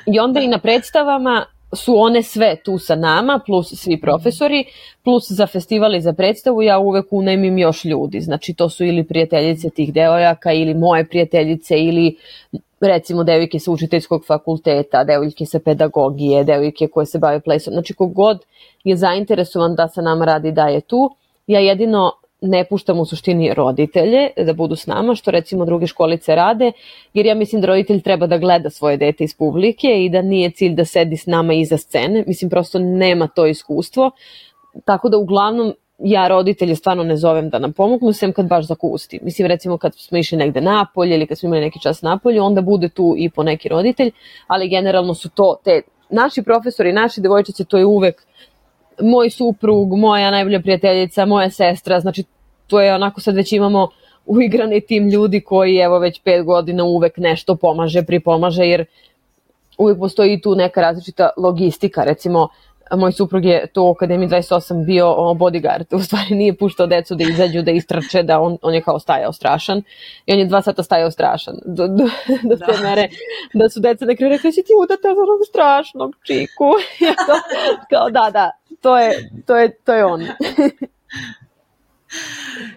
I onda i na predstavama su one sve tu sa nama, plus svi profesori, plus za festival i za predstavu ja uvek unajmim još ljudi. Znači to su ili prijateljice tih devojaka ili moje prijateljice ili recimo devojke sa učiteljskog fakulteta, devojke sa pedagogije, devojke koje se bave plesom. Znači kogod je zainteresovan da sa nama radi da je tu. Ja jedino ne puštam u suštini roditelje da budu s nama, što recimo druge školice rade, jer ja mislim da roditelj treba da gleda svoje dete iz publike i da nije cilj da sedi s nama iza scene. Mislim, prosto nema to iskustvo. Tako da uglavnom ja roditelje stvarno ne zovem da nam pomognu, sem kad baš zakusti. Mislim, recimo kad smo išli negde napolje ili kad smo imali neki čas napolje, onda bude tu i po neki roditelj, ali generalno su to te naši profesori, naši devojčice, to je uvek moj suprug, moja najbolja prijateljica, moja sestra, znači to je onako sad već imamo uigrani tim ljudi koji evo već 5 godina uvek nešto pomaže, pripomaže, jer uvek postoji tu neka različita logistika, recimo moj suprug je tu u Akademiji 28 bio bodyguard, u stvari nije puštao decu da izađu, da istrače, da on je kao stajao strašan i on je 2 sata stajao strašan do te mere da su deca nekako rekli si ti udata za onog strašnog čiku kao da, to je on.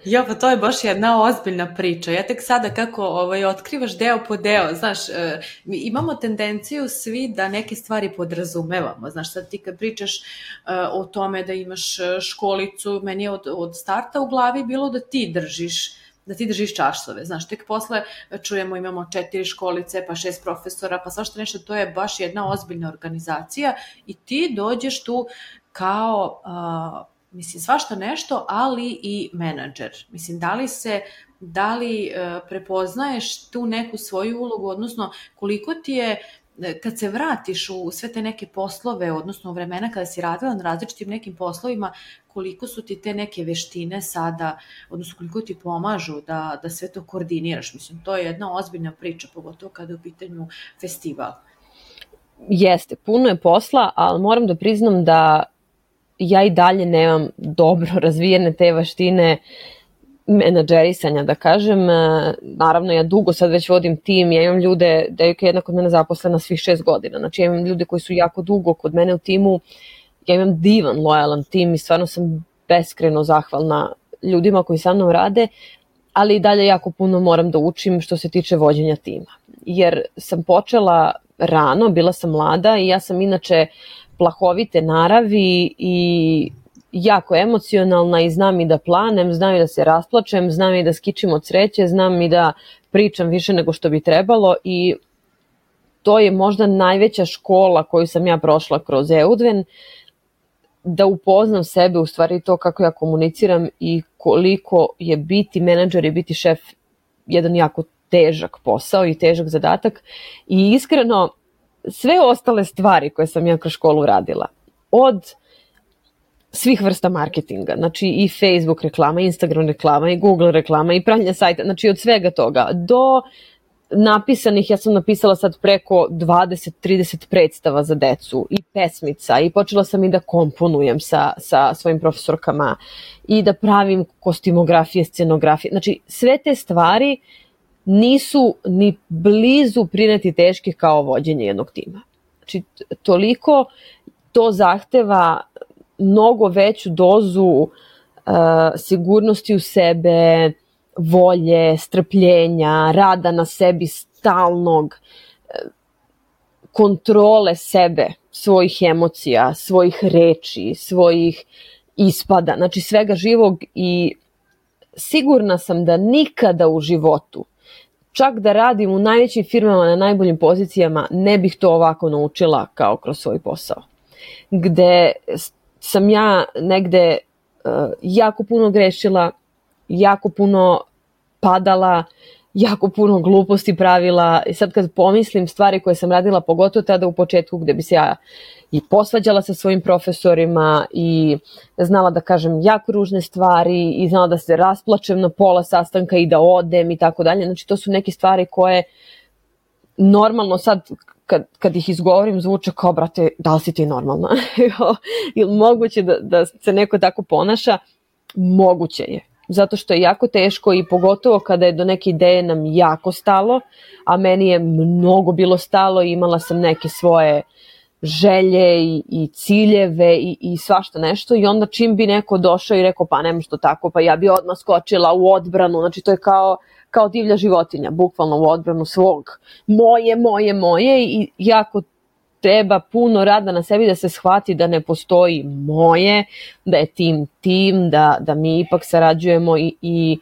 Jo, pa to je baš jedna ozbiljna priča. Ja tek sada kako otkrivaš deo po deo, znaš, mi imamo tendenciju svi da neke stvari podrazumevamo. Znaš, sad ti kad pričaš o tome da imaš školicu, meni je od starta u glavi bilo da ti držiš časove. Znaš, tek posle čujemo imamo 4 školice, pa 6 profesora, pa svašta nešto, to je baš jedna ozbiljna organizacija i ti dođeš tu kao mislim, svašta nešto, ali i menadžer. Mislim, da li prepoznaješ tu neku svoju ulogu, odnosno koliko ti je, kad se vratiš u sve te neke poslove, odnosno u vremena kada si radila na različitim nekim poslovima, koliko su ti te neke veštine sada, odnosno koliko ti pomažu da sve to koordiniraš. Mislim, to je jedna ozbiljna priča, pogotovo kada je u pitanju festival. Jeste, puno je posla, ali moram da priznam da ja i dalje nemam dobro razvijene te veštine menadžerisanja, da kažem. Naravno, ja dugo sad već vodim tim, ja imam ljude, devojka je jedna kod mene zaposlena svih 6 godina, znači ja imam ljude koji su jako dugo kod mene u timu, ja imam divan, lojalan tim i stvarno sam beskreno zahvalna ljudima koji sa mnom rade, ali i dalje jako puno moram da učim što se tiče vođenja tima, jer sam počela rano, bila sam mlada i ja sam inače plahovite naravi i jako emocionalna i znam i da planem, znam i da se rasplačem, znam i da skičim od sreće, znam i da pričam više nego što bi trebalo i to je možda najveća škola koju sam ja prošla kroz Eudven, da upoznam sebe, u stvari to kako ja komuniciram i koliko je biti menadžer i biti šef jedan jako težak posao i težak zadatak i iskreno sve ostale stvari koje sam ja kroz školu radila, od svih vrsta marketinga, znači i Facebook reklama, Instagram reklama i Google reklama i pravljenje sajta, znači od svega toga, do napisanih, ja sam napisala sad preko 20-30 predstava za decu i pesmica i počela sam i da komponujem sa svojim profesorkama i da pravim kostimografije, scenografije. Znači, sve te stvari nisu ni blizu prineti teške kao vođenje jednog tima. Znači, toliko to zahteva mnogo veću dozu sigurnosti u sebe, volje, strpljenja, rada na sebi stalnog, kontrole sebe, svojih emocija, svojih reči, svojih ispada, znači svega živog i sigurna sam da nikada u životu, čak da radim u najvećim firmama na najboljim pozicijama, ne bih to ovako naučila kao kroz svoj posao. Gde sam ja negde jako puno grešila, jako puno padala, jako puno gluposti pravila i sad kad pomislim stvari koje sam radila, pogotovo tada u početku gde bi se ja i posvađala sa svojim profesorima i znala da kažem jako ružne stvari i znala da se rasplačem na pola sastanka i da odem i tako dalje. Znači to su neke stvari koje normalno sad kad ih izgovorim zvuče kao brate, da li si ti normalna? Ili moguće da se neko tako ponaša? Moguće je. Zato što je jako teško i pogotovo kada je do neke ideje nam jako stalo, a meni je mnogo bilo stalo i imala sam neke svoje želje i ciljeve i svašta nešto i onda čim bi neko došao i rekao pa nema što tako, pa ja bi odmah skočila u odbranu, znači to je kao divlja životinja, bukvalno u odbranu svog, moje i jako treba puno rada na sebi da se shvati da ne postoji moje, da je tim, da mi ipak sarađujemo i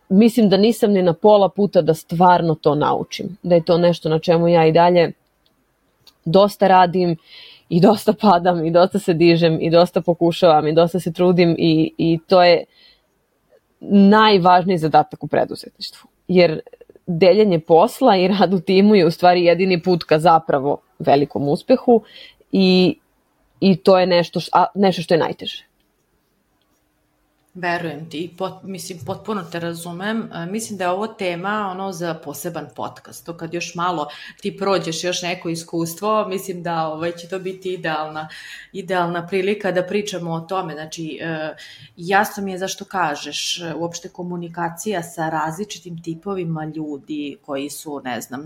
mislim da nisam ni na pola puta da stvarno to naučim, da je to nešto na čemu ja i dalje dosta radim i dosta padam i dosta se dižem i dosta pokušavam i dosta se trudim i to je najvažniji zadatak u preduzetništvu. Jer deljenje posla i rad u timu je u stvari jedini put ka zapravo velikom uspehu i to je nešto što je najteže. Verujem ti, mislim, potpuno te razumem. Mislim da je ovo tema za poseban podcast. To kad još malo ti prođeš još neko iskustvo, mislim da će to biti idealna prilika da pričamo o tome. Znači, jasno mi je zašto kažeš, uopšte komunikacija sa različitim tipovima ljudi koji su, ne znam,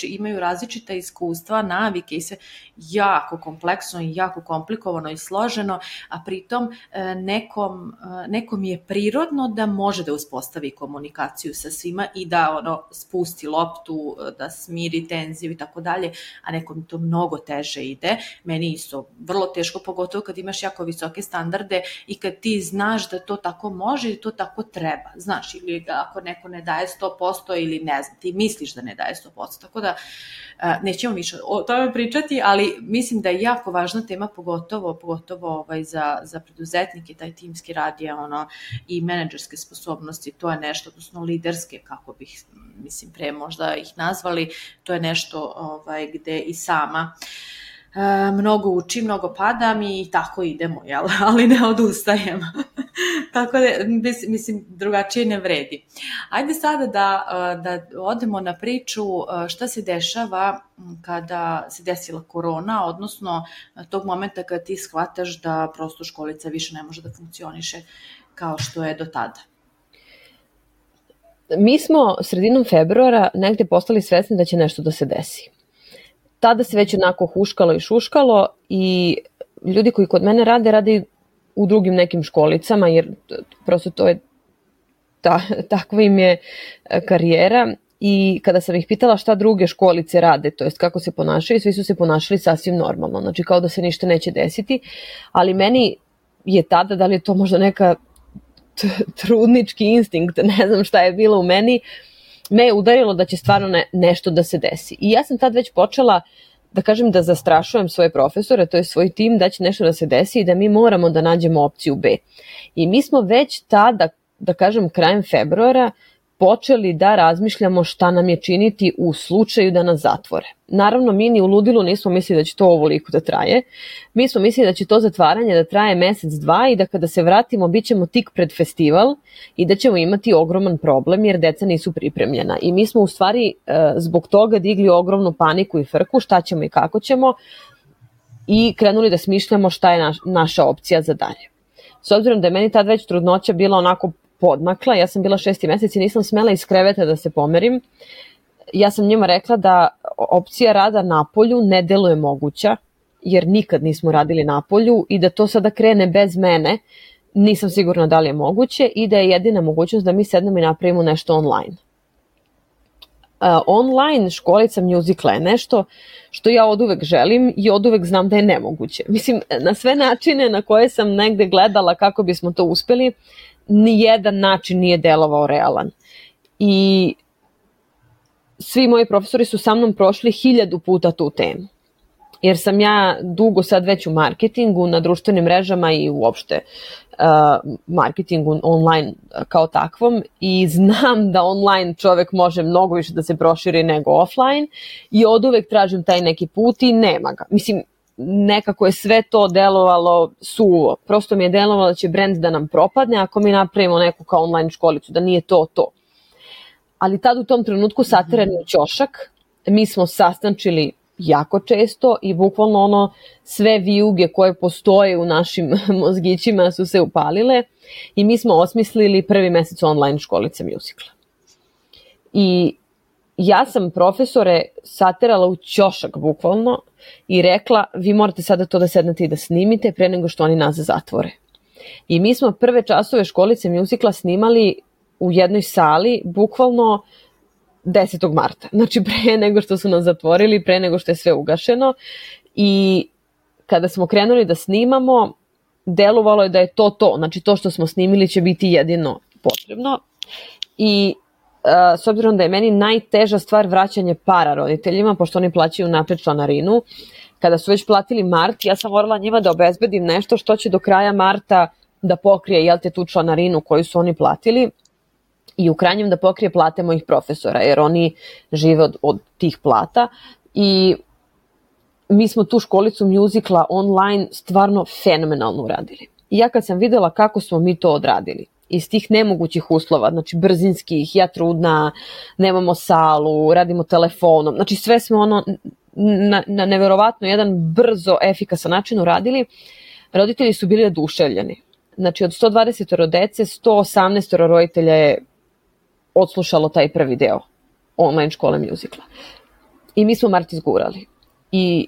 imaju različita iskustva, navike i sve jako kompleksno i jako komplikovano i složeno, a pritom nekom je prirodno da može da uspostavi komunikaciju sa svima i da spusti loptu, da smiri tenziju i tako dalje, a nekom to mnogo teže ide. Meni isto vrlo teško, pogotovo kad imaš jako visoke standarde i kad ti znaš da to tako može i to tako treba. Znaš, ili ako neko ne daje 100% ili ne znam, ti misliš da ne daje 100%, tako da nećemo više o tome pričati, ali mislim da je jako važna tema, pogotovo za preduzetnike, taj timski rad je i menadžerske sposobnosti, to je nešto, odnosno liderske, kako bih, mislim, pre možda ih nazvali, to je nešto gde i sama mnogo učim, mnogo padam i tako idemo, jel? Ali ne odustajem. Tako da, mislim, drugačije ne vredi. Ajde sada da odemo na priču šta se dešava kada se desila korona, odnosno tog momenta kada ti shvataš da prosto školica više ne može da funkcioniše kao što je do tada. Mi smo sredinom februara negde postali svesni da će nešto da se desi. Tada se već onako huškalo i šuškalo i ljudi koji kod mene rade u drugim nekim školicama, jer prosto to je takva im je karijera. I kada sam ih pitala šta druge školice rade, to jest kako se ponašaju, svi su se ponašali sasvim normalno, znači kao da se ništa neće desiti, ali meni je tada, da li je to možda neka trudnički instinkt, ne znam šta je bilo u meni, me je udarilo da će stvarno nešto da se desi. I ja sam tad već počela da kažem da zastrašujem svoje profesore, to je svoj tim, da će nešto da se desi i da mi moramo da nađemo opciju B. I mi smo već tada, da kažem krajem februara, počeli da razmišljamo šta nam je činiti u slučaju da nas zatvore. Naravno, mi ni u ludilu nismo mislili da će to ovoliko da traje. Mi smo mislili da će to zatvaranje da traje mesec, dva i da kada se vratimo bit ćemo tik pred festival i da ćemo imati ogroman problem jer deca nisu pripremljena. I mi smo u stvari zbog toga digli ogromnu paniku i frku šta ćemo i kako ćemo i krenuli da smišljamo šta je naša opcija za dalje. S obzirom da je meni tad već trudnoća bila onako podmakla, ja sam bila 6. mesec i nisam smela iz kreveta da se pomerim. Ja sam njima rekla da opcija rada napolju ne deluje moguća, jer nikad nismo radili napolju i da to sada krene bez mene, nisam sigurna da li je moguće i da je jedina mogućnost da mi sednemo i napravimo nešto online. Online školica muzikla je nešto što ja oduvek želim i oduvek znam da je nemoguće. Mislim, na sve načine na koje sam negde gledala kako bismo to uspeli, nijedan način nije delovao realan. I svi moji profesori su sa mnom prošli 1000 puta tu temu. Jer sam ja dugo sad već u marketingu, na društvenim mrežama i uopšte marketingu online kao takvom i znam da online čovek može mnogo više da se proširi nego offline i oduvek tražim taj neki put i nema ga. Mislim, nekako je sve to delovalo suvo. Prosto mi je delovalo da će brend da nam propadne ako mi napravimo neku kao online školicu, da nije to. Ali tad u tom trenutku saterani u ćošak, mi smo sastančili jako često i bukvalno sve vijuge koje postoje u našim mozgićima su se upalile i mi smo osmislili 1. mesec online školice muzikla. I ja sam profesore saterala u ćošak bukvalno i rekla vi morate sada to da sednete i da snimite pre nego što oni nas zatvore. I mi smo prve časove školice muzikla snimali u jednoj sali bukvalno 10. marta, znači pre nego što su nas zatvorili, pre nego što je sve ugašeno i kada smo krenuli da snimamo, delovalo je da je to, znači to što smo snimili će biti jedino potrebno i s obzirom da je meni najteža stvar vraćanje para roditeljima, pošto oni plaćaju napred članarinu, kada su već platili mart, ja sam morala njima da obezbedim nešto što će do kraja marta da pokrije tu članarinu koju su oni platili, i u krajnjem da pokrije plate mojih profesora, jer oni žive od tih plata i mi smo tu školicu muzikla online stvarno fenomenalno uradili. I ja kad sam videla kako smo mi to odradili, iz tih nemogućih uslova, znači brzinskih, ja trudna, nemamo salu, radimo telefonom, znači sve smo na neverovatno jedan brzo, efikasan način uradili, roditelji su bili oduševljeni. Znači od 120 dece, 118 roditelja je odslušalo taj prvi deo online škole muzikla. I mi smo mart izgurali. I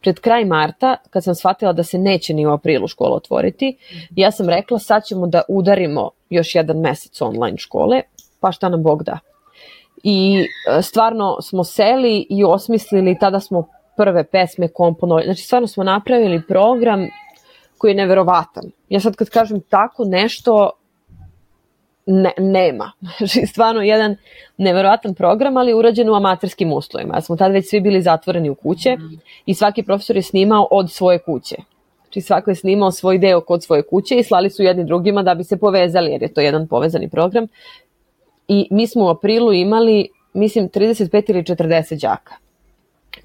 pred kraj marta, kad sam shvatila da se neće ni u aprilu škola otvoriti, ja sam rekla sad ćemo da udarimo još jedan mesec online škole, pa šta nam Bog da. I stvarno smo seli i osmislili, tada smo prve pesme komponovali, znači stvarno smo napravili program koji je neverovatan. Ja sad kad kažem tako nešto, nema. Znači, stvarno jedan neverovatan program, ali urađen u amaterskim uslovima. Ja smo tad već svi bili zatvoreni u kuće i svaki profesor je snimao od svoje kuće. Znači svako je snimao svoj deo kod svoje kuće i slali su jedni drugima da bi se povezali, jer je to jedan povezani program. I mi smo u aprilu imali, mislim, 35 ili 40 đaka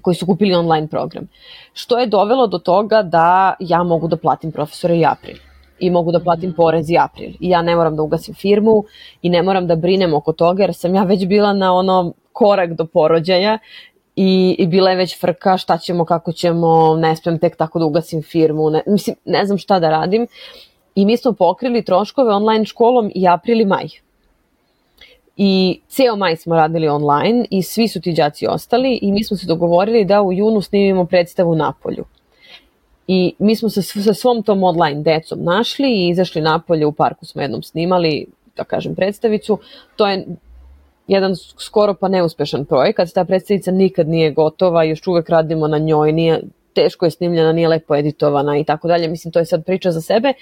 koji su kupili online program. Što je dovelo do toga da ja mogu da platim profesore i april. I mogu da platim porez i april. I ja ne moram da ugasim firmu i ne moram da brinem oko toga jer sam ja već bila na korak do porođaja i bila je već frka šta ćemo, kako ćemo, ne smijem tek tako da ugasim firmu, ne znam šta da radim. I mi smo pokrili troškove online školom i april i maj. I ceo maj smo radili online i svi su ti đaci ostali i mi smo se dogovorili da u junu snimimo predstavu napolju. I mi smo se sa svom tom online decom našli i izašli napolje, u parku smo jednom snimali, da kažem, predstavicu. To je jedan skoro pa neuspešan projekat, ta predstavica nikad nije gotova, još uvek radimo na njoj, teško je snimljena, nije lepo editovana i tako dalje, mislim to je sad priča za sebe,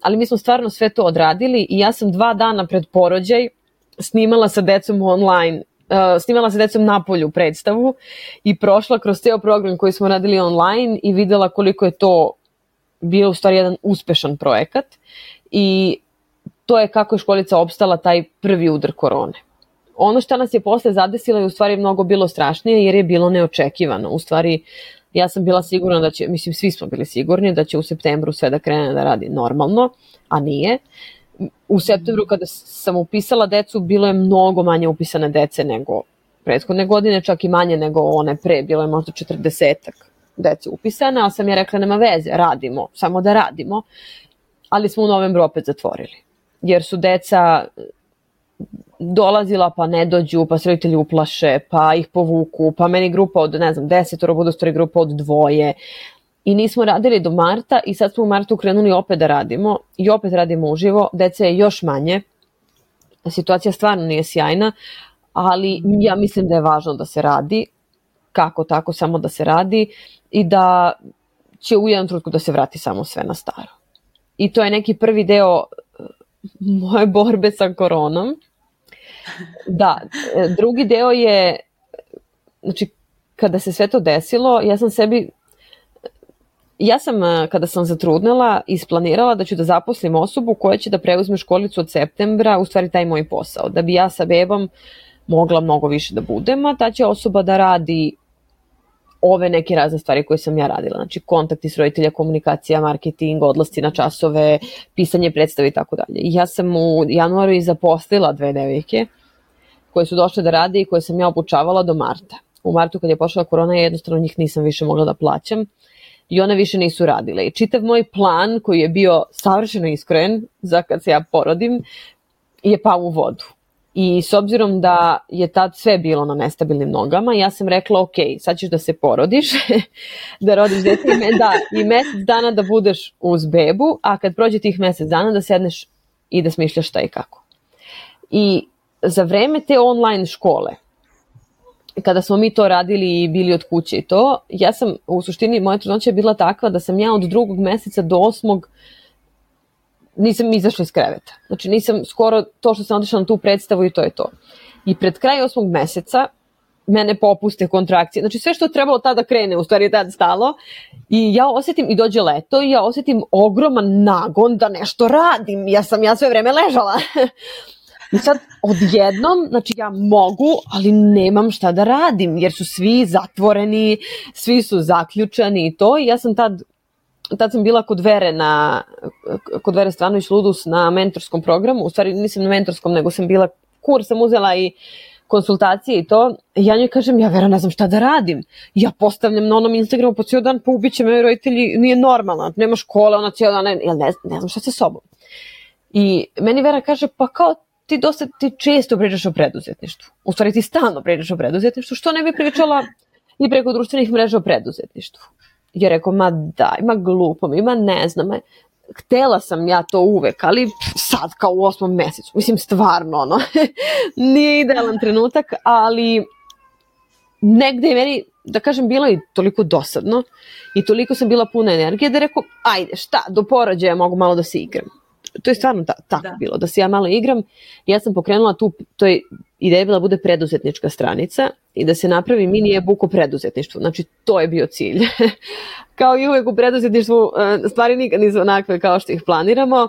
ali mi smo stvarno sve to odradili i ja sam 2 dana pred porođaj snimala sa decom online, snimala sa decom napolju predstavu i prošla kroz ceo program koji smo radili online i videla koliko je to bio u stvari jedan uspešan projekat i to je kako je školica opstala taj prvi udar korone. ono što nas je posle zadesilo je u stvari mnogo bilo strašnije jer je bilo neočekivano. U stvari, ja sam bila sigurna da će, mislim svi smo bili sigurni da će u septembru sve da krene da radi normalno, a nije. U septembru kada sam upisala decu, bilo je mnogo manje upisane dece nego prethodne godine, čak i manje nego one pre, bilo je možda 40-ak dece upisane, ali sam ja rekla nema veze, radimo, samo da radimo, ali smo u novembru opet zatvorili, jer su deca dolazila pa ne dođu, pa se roditelji uplaše, pa ih povuku, pa meni grupa od, 10 bude stvari grupa od 2 i nismo radili do marta i sad smo u martu krenuli opet da radimo i opet radimo uživo, dece je još manje, situacija stvarno nije sjajna, ali ja mislim da je važno da se radi, kako tako, samo da se radi i da će u jednom trenutku da se vrati samo sve na staro. I to je neki prvi deo moje borbe sa koronom. Da, drugi deo je, znači, kada se sve to desilo, ja sam kada sam zatrudnela isplanirala da ću da zaposlim osobu koja će da preuzme školicu od septembra, u stvari taj moj posao, da bi ja sa bebom mogla mnogo više da budem, a ta će osoba da radi ove neke razne stvari koje sam ja radila, znači kontakti s roditelja, komunikacija, marketing, odlasci na časove, pisanje predstave i tako dalje. I ja sam u januaru i zaposlila 2 devojke koje su došle da rade i koje sam ja obučavala do marta. U martu kad je pošla korona, ja jednostavno njih nisam više mogla da plaćam i one više nisu radile. I čitav moj plan koji je bio savršeno iskrojen za kad se ja porodim je pao u vodu. I s obzirom da je tad sve bilo na nestabilnim nogama, ja sam rekla ok, sad ćeš da se porodiš, da rodiš dete i mesec dana da budeš uz bebu, a kad prođe tih mesec dana da sedneš i da smišljaš šta i kako. I za vreme te online škole, kada smo mi to radili i bili od kuće i to, ja sam, u suštini, moja trudnoća je bila takva da sam ja od 2. meseca do 8. nisam izašla iz kreveta. Znači nisam skoro to što sam otišla na tu predstavu i to je to. I pred kraj 8. meseca mene popuste kontrakcije. Znači sve što je trebalo tada krene, u stvari je tada stalo. I ja osjetim, i dođe leto, i ja osjetim ogroman nagon da nešto radim. Ja sve vreme ležala. I sad odjednom, znači ja mogu, ali nemam šta da radim, jer su svi zatvoreni, svi su zaključani i to. I ja sam tad sam bila kod Vere Stranović Ludus na mentorskom programu, u stvari nisam na mentorskom, nego sam bila, kurs sam uzela i konsultacije i to. I ja njoj kažem, ja Vera ne znam šta da radim. Ja postavljam na onom Instagramu po cijel dan, pa ubiće me roditelji, nije normalno, nema škole, ona cijel dan, ne znam šta sa sobom. I meni Vera kaže, pa kao ti često pričaš o preduzetništvu. U stvari ti stalno pričaš o preduzetništvu, što ne bi pričala i preko društvenih mreža o preduzetništvu. Ja rekao, ma daj, ma glupo mi, ma ne znam, htela sam ja to uvek, ali sad kao u 8. mesecu, mislim stvarno nije idealan trenutak, ali negde je meni, da kažem, bilo i toliko dosadno i toliko sam bila puna energije da rekao, ajde šta, do porođaja mogu malo da se igram. To je stvarno tako bilo, da se ja malo igram. Ja sam pokrenula to je ideja bila da bude preduzetnička stranica i da se napravi mini e-book o preduzetništvu. Znači, to je bio cilj. Kao i uvek u preduzetništvu, stvari nikad nisu onakve kao što ih planiramo.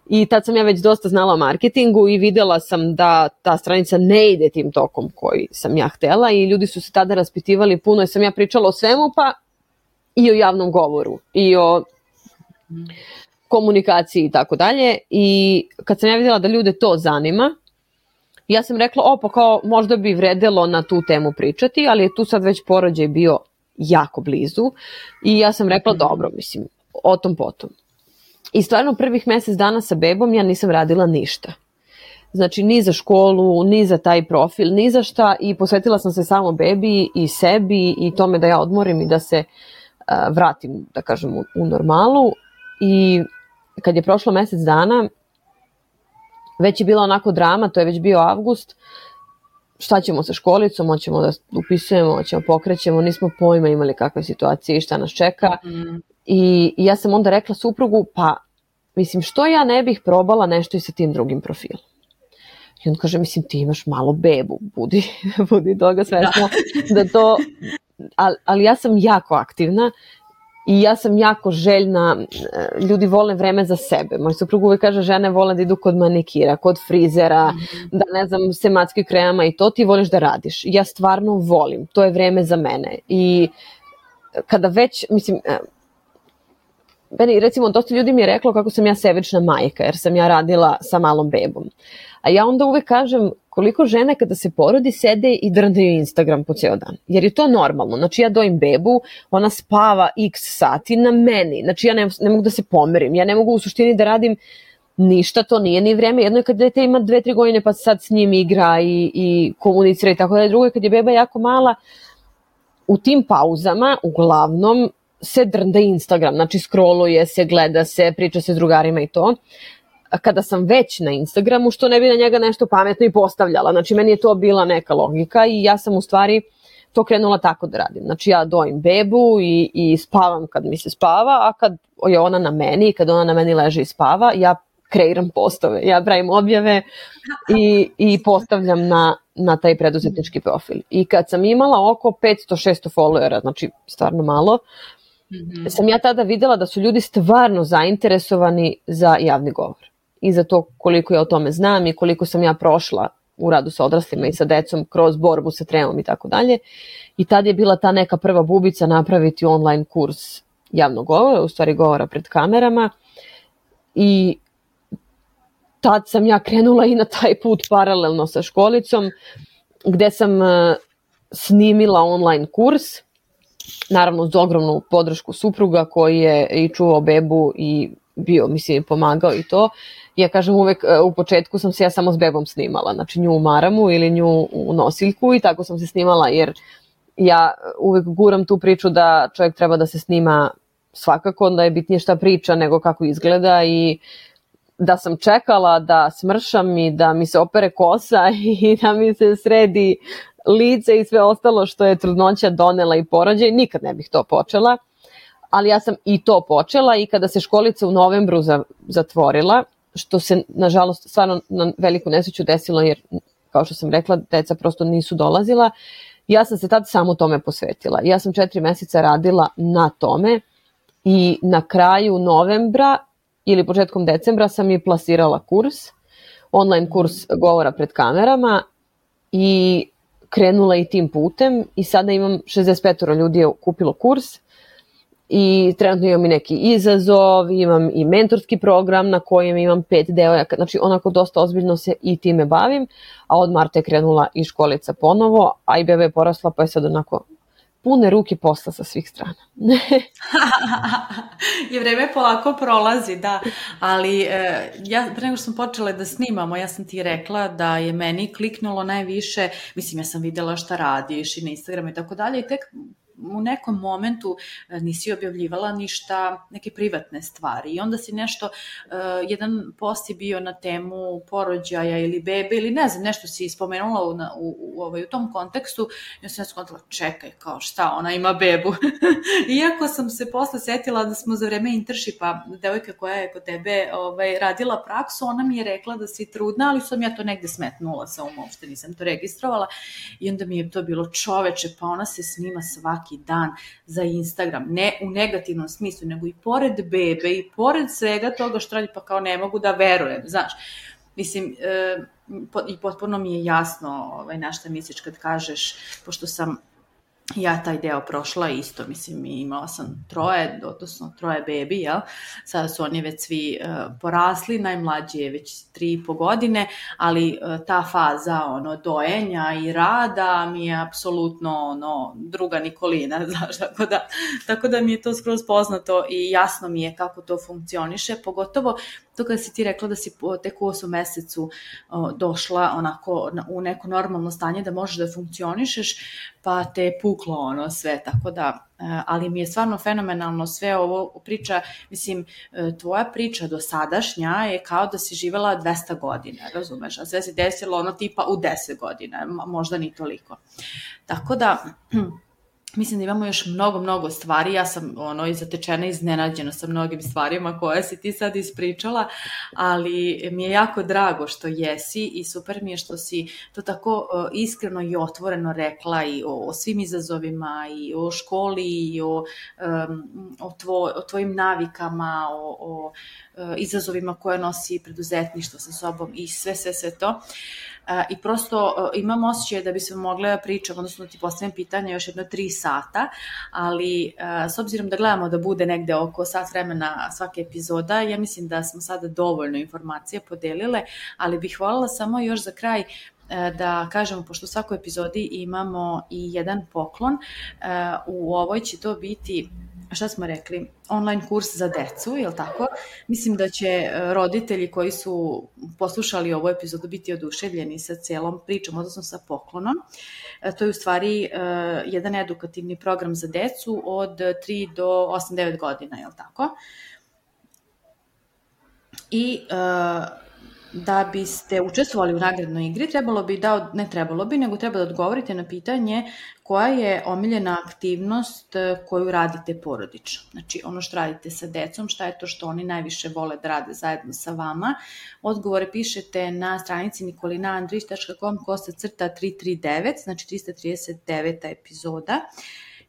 I tad sam ja već dosta znala o marketingu i videla sam da ta stranica ne ide tim tokom koji sam ja htela i ljudi su se tada raspitivali puno jer sam ja pričala o svemu, pa i o javnom govoru i o komunikaciji i tako dalje. I kad sam ja vidjela da ljude to zanima, ja sam rekla, pa kao možda bi vredelo na tu temu pričati, ali je tu sad već porođaj bio jako blizu i ja sam rekla, dobro, mislim, o tom potom. I stvarno prvih mesec dana sa bebom ja nisam radila ništa. Znači ni za školu, ni za taj profil, ni za šta i posvetila sam se samo bebi i sebi i tome da ja odmorim i da se vratim, da kažem, u normalu. I kad je prošlo mesec dana, već je bila onako drama, to je već bio avgust, šta ćemo sa školicom, hoćemo da upisujemo, hoćemo pokrećemo, nismo pojma imali kakve situacije i šta nas čeka. I ja sam onda rekla suprugu, pa mislim što ja ne bih probala nešto i sa tim drugim profilom. I on kaže, mislim ti imaš malo bebu, budi toga svesno da to, ali ja sam jako aktivna I ja sam jako željna, ljudi vole vreme za sebe. Moj suprug uvijek kaže, žene vole da idu kod manikira, kod frizera, da ne znam, sematskih krema i to, ti voliš da radiš. Ja stvarno volim, to je vreme za mene. I kada već, mislim, recimo, dosta ljudi mi je reklo kako sam ja sebična majka, jer sam ja radila sa malom bebom. A ja onda uvek kažem koliko žene kada se porodi sede i drndaju Instagram po ceo dan. Jer je to normalno. Znači ja dojim bebu, ona spava x sati na meni. Znači ja ne mogu da se pomerim. Ja ne mogu u suštini da radim ništa, to nije ni vreme. Jedno je kad dete ima 2-3 godine pa sad s njim igra i komunicira i tako da. Drugo je kad je beba jako mala, u tim pauzama uglavnom se drnda Instagram. Znači scrolluje se, gleda se, priča se s drugarima i to. Kada sam već na Instagramu, što ne bi na njega nešto pametno i postavljala. Znači, meni je to bila neka logika i ja sam u stvari to krenula tako da radim. Znači, ja dojim bebu i spavam kad mi se spava, a kad je ona na meni i kad ona na meni leže i spava, ja kreiram postove, ja pravim objave i postavljam na taj preduzetnički profil. I kad sam imala oko 500-600 followera, znači stvarno malo, sam ja tada videla da su ljudi stvarno zainteresovani za javni govor. I za to koliko ja o tome znam i koliko sam ja prošla u radu sa odraslima i sa decom kroz borbu sa tremom i tako dalje. I tad je bila ta neka prva bubica napraviti online kurs javnog govora, u stvari govora pred kamerama. I tad sam ja krenula i na taj put paralelno sa školicom, gde sam snimila online kurs, naravno uz ogromnu podršku supruga koji je i čuvao bebu i bio, mislim, pomagao i to. Ja kažem uvek, u početku sam se ja samo s bebom snimala, znači nju u maramu ili nju u nosiljku i tako sam se snimala, jer ja uvek guram tu priču da čovjek treba da se snima svakako, da je bitnije šta priča nego kako izgleda i da sam čekala da smršam i da mi se opere kosa i da mi se sredi lice i sve ostalo što je trudnoća donela i porođaj, nikad ne bih to počela. Ali ja sam i to počela i kada se školica u novembru zatvorila, što se nažalost stvarno na veliku nesreću desilo jer, kao što sam rekla, deca prosto nisu dolazila, ja sam se tad samo tome posvetila. Ja sam 4 meseca radila na tome i na kraju novembra ili početkom decembra sam i plasirala kurs, online kurs govora pred kamerama i krenula i tim putem i sada imam 65 ljudi je kupilo kurs. I trenutno imam i neki izazov, imam i mentorski program na kojem imam 5 devojaka, znači onako dosta ozbiljno se i time bavim, a od marta je krenula i školica ponovo, a i beba je porasla pa je sad onako pune ruke posla sa svih strana. I vreme polako prolazi, da, ali ja pre nego što sam počela da snimamo, ja sam ti rekla da je meni kliknulo najviše, mislim ja sam videla šta radiš i na Instagramu i tako dalje i tek u nekom momentu nisi objavljivala ništa, neke privatne stvari i onda si nešto, jedan post je bio na temu porođaja ili bebe ili ne znam, nešto si spomenula u tom kontekstu i onda sam ja skontala, čekaj, kao šta, ona ima bebu. Iako sam se posle setila da smo za vreme internshipa, devojka koja je kod tebe radila praksu, ona mi je rekla da si trudna, ali sam ja to negde smetnula sa uopšte, nisam to registrovala i onda mi je to bilo čoveče, pa ona se snima svaki dan za Instagram, ne u negativnom smislu, nego i pored bebe i pored svega toga što radi, pa kao ne mogu da verujem, znaš. Mislim, i potpuno mi je jasno na šta misliš kad kažeš, pošto sam ja taj deo prošla isto, mislim, imala sam 3 bebi, jel? Sada su oni već svi porasli, najmlađi je već 3,5 godine, ali ta faza dojenja i rada mi je apsolutno druga Nikolina, znaš, tako da mi je to skroz poznato i jasno mi je kako to funkcioniše, pogotovo to kada si ti rekla da si tek u 8 mesecu došla onako u neko normalno stanje da možeš da funkcionišeš, pa te je puklo sve, tako da, ali mi je stvarno fenomenalno sve ovo priča, mislim, tvoja priča dosadašnja je kao da si živela 200 godina, razumeš, a sve se desilo tipa u 10 godina, možda ni toliko. Tako da, Mislim da imamo još mnogo stvari, ja sam i zatečena i iznenađena sa mnogim stvarima koje si ti sad ispričala, ali mi je jako drago što jesi i super mi je što si to tako iskreno i otvoreno rekla i o svim izazovima i o školi i o tvojim navikama, o izazovima koje nosi preduzetništvo sa sobom i sve to. I prosto imam osjećaj da bi se mogla pričati, odnosno da ti postavim pitanje još jedno 3 sata, ali s obzirom da gledamo da bude negde oko sat vremena svake epizoda, ja mislim da smo sada dovoljno informacije podelile, ali bih voljela samo još za kraj da kažemo, pošto u svakoj epizodi imamo i jedan poklon, u ovoj će to biti, šta smo rekli, online kurs za decu, je li tako? Mislim da će roditelji koji su poslušali ovu epizodu biti oduševljeni sa celom pričom, odnosno sa poklonom. To je u stvari jedan edukativni program za decu od 3 do 8-9 godina, je li tako? I da biste učestvovali u nagradnoj igri, nego treba da odgovorite na pitanje koja je omiljena aktivnost koju radite porodično. Znači, ono što radite sa decom, šta je to što oni najviše vole da rade zajedno sa vama. Odgovore pišete na stranici nikolinaandrić.com/339, znači 339. epizoda.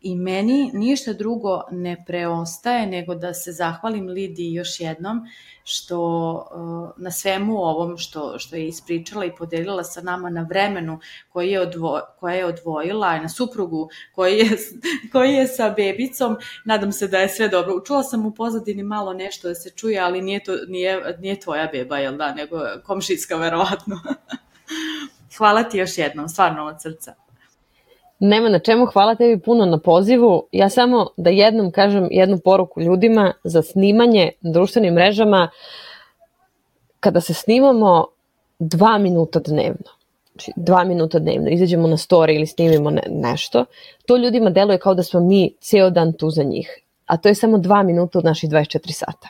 I meni ništa drugo ne preostaje nego da se zahvalim Lidiji još jednom što na svemu ovom što je ispričala i podelila sa nama, na vremenu koje je odvojila, na suprugu koji je sa bebicom. Nadam se da je sve dobro. Čula sam u pozadini malo nešto da se čuje, ali nije tvoja beba, jel da, nego komšijska verovatno. Hvala ti još jednom, stvarno od srca. Nema na čemu, hvala tebi puno na pozivu. Ja samo da jednom kažem jednu poruku ljudima za snimanje na društvenim mrežama. Kada se snimamo 2 minuta dnevno, znači 2 minuta dnevno, izađemo na story ili snimimo nešto, to ljudima deluje kao da smo mi ceo dan tu za njih. A to je samo 2 minuta od naših 24 sata.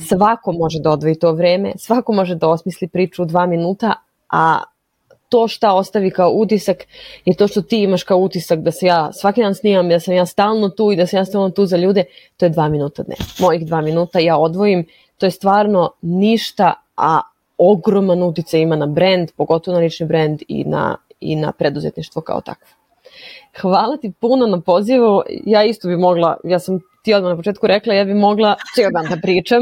Svako može da odvoji to vreme, svako može da osmisli priču u 2 minuta, a to šta ostavi kao utisak je to što ti imaš kao utisak da se ja svaki dan snimam, da sam ja stalno tu i da sam ja stalno tu za ljude, to je 2 minuta dnevno. Mojih 2 minuta ja odvojim, to je stvarno ništa, a ogroman uticaj ima na brand, pogotovo na lični brand i na preduzetništvo kao takvo. Hvala ti puno na pozivu, ja isto bi mogla, ja sam ti odmah na početku rekla, ja bi mogla cijel dan da pričam,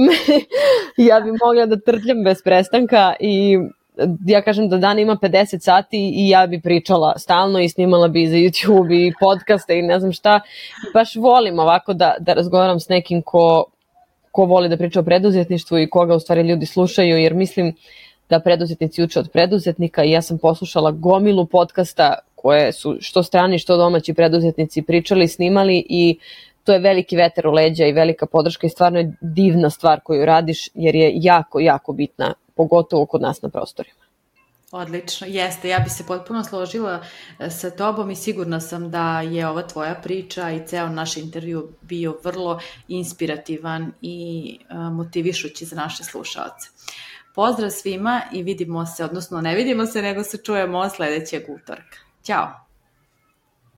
ja bi mogla da trtljam bez prestanka i ja kažem da dan ima 50 sati i ja bi pričala stalno i snimala bi za YouTube i podcaste i ne znam šta. Baš volim ovako da razgovaram s nekim ko voli da priča o preduzetništvu i koga u stvari ljudi slušaju, jer mislim da preduzetnici uče od preduzetnika i ja sam poslušala gomilu podcasta koje su što strani što domaći preduzetnici pričali, snimali i to je veliki vetar u leđa i velika podrška i stvarno je divna stvar koju radiš jer je jako, jako bitna, pogotovo kod nas na prostorima. Odlično, jeste. Ja bi se potpuno složila sa tobom i sigurna sam da je ova tvoja priča i ceo naš intervju bio vrlo inspirativan i motivišući za naše slušaoce. Pozdrav svima i vidimo se, odnosno ne vidimo se, nego se čujemo sledećeg utorka. Ćao!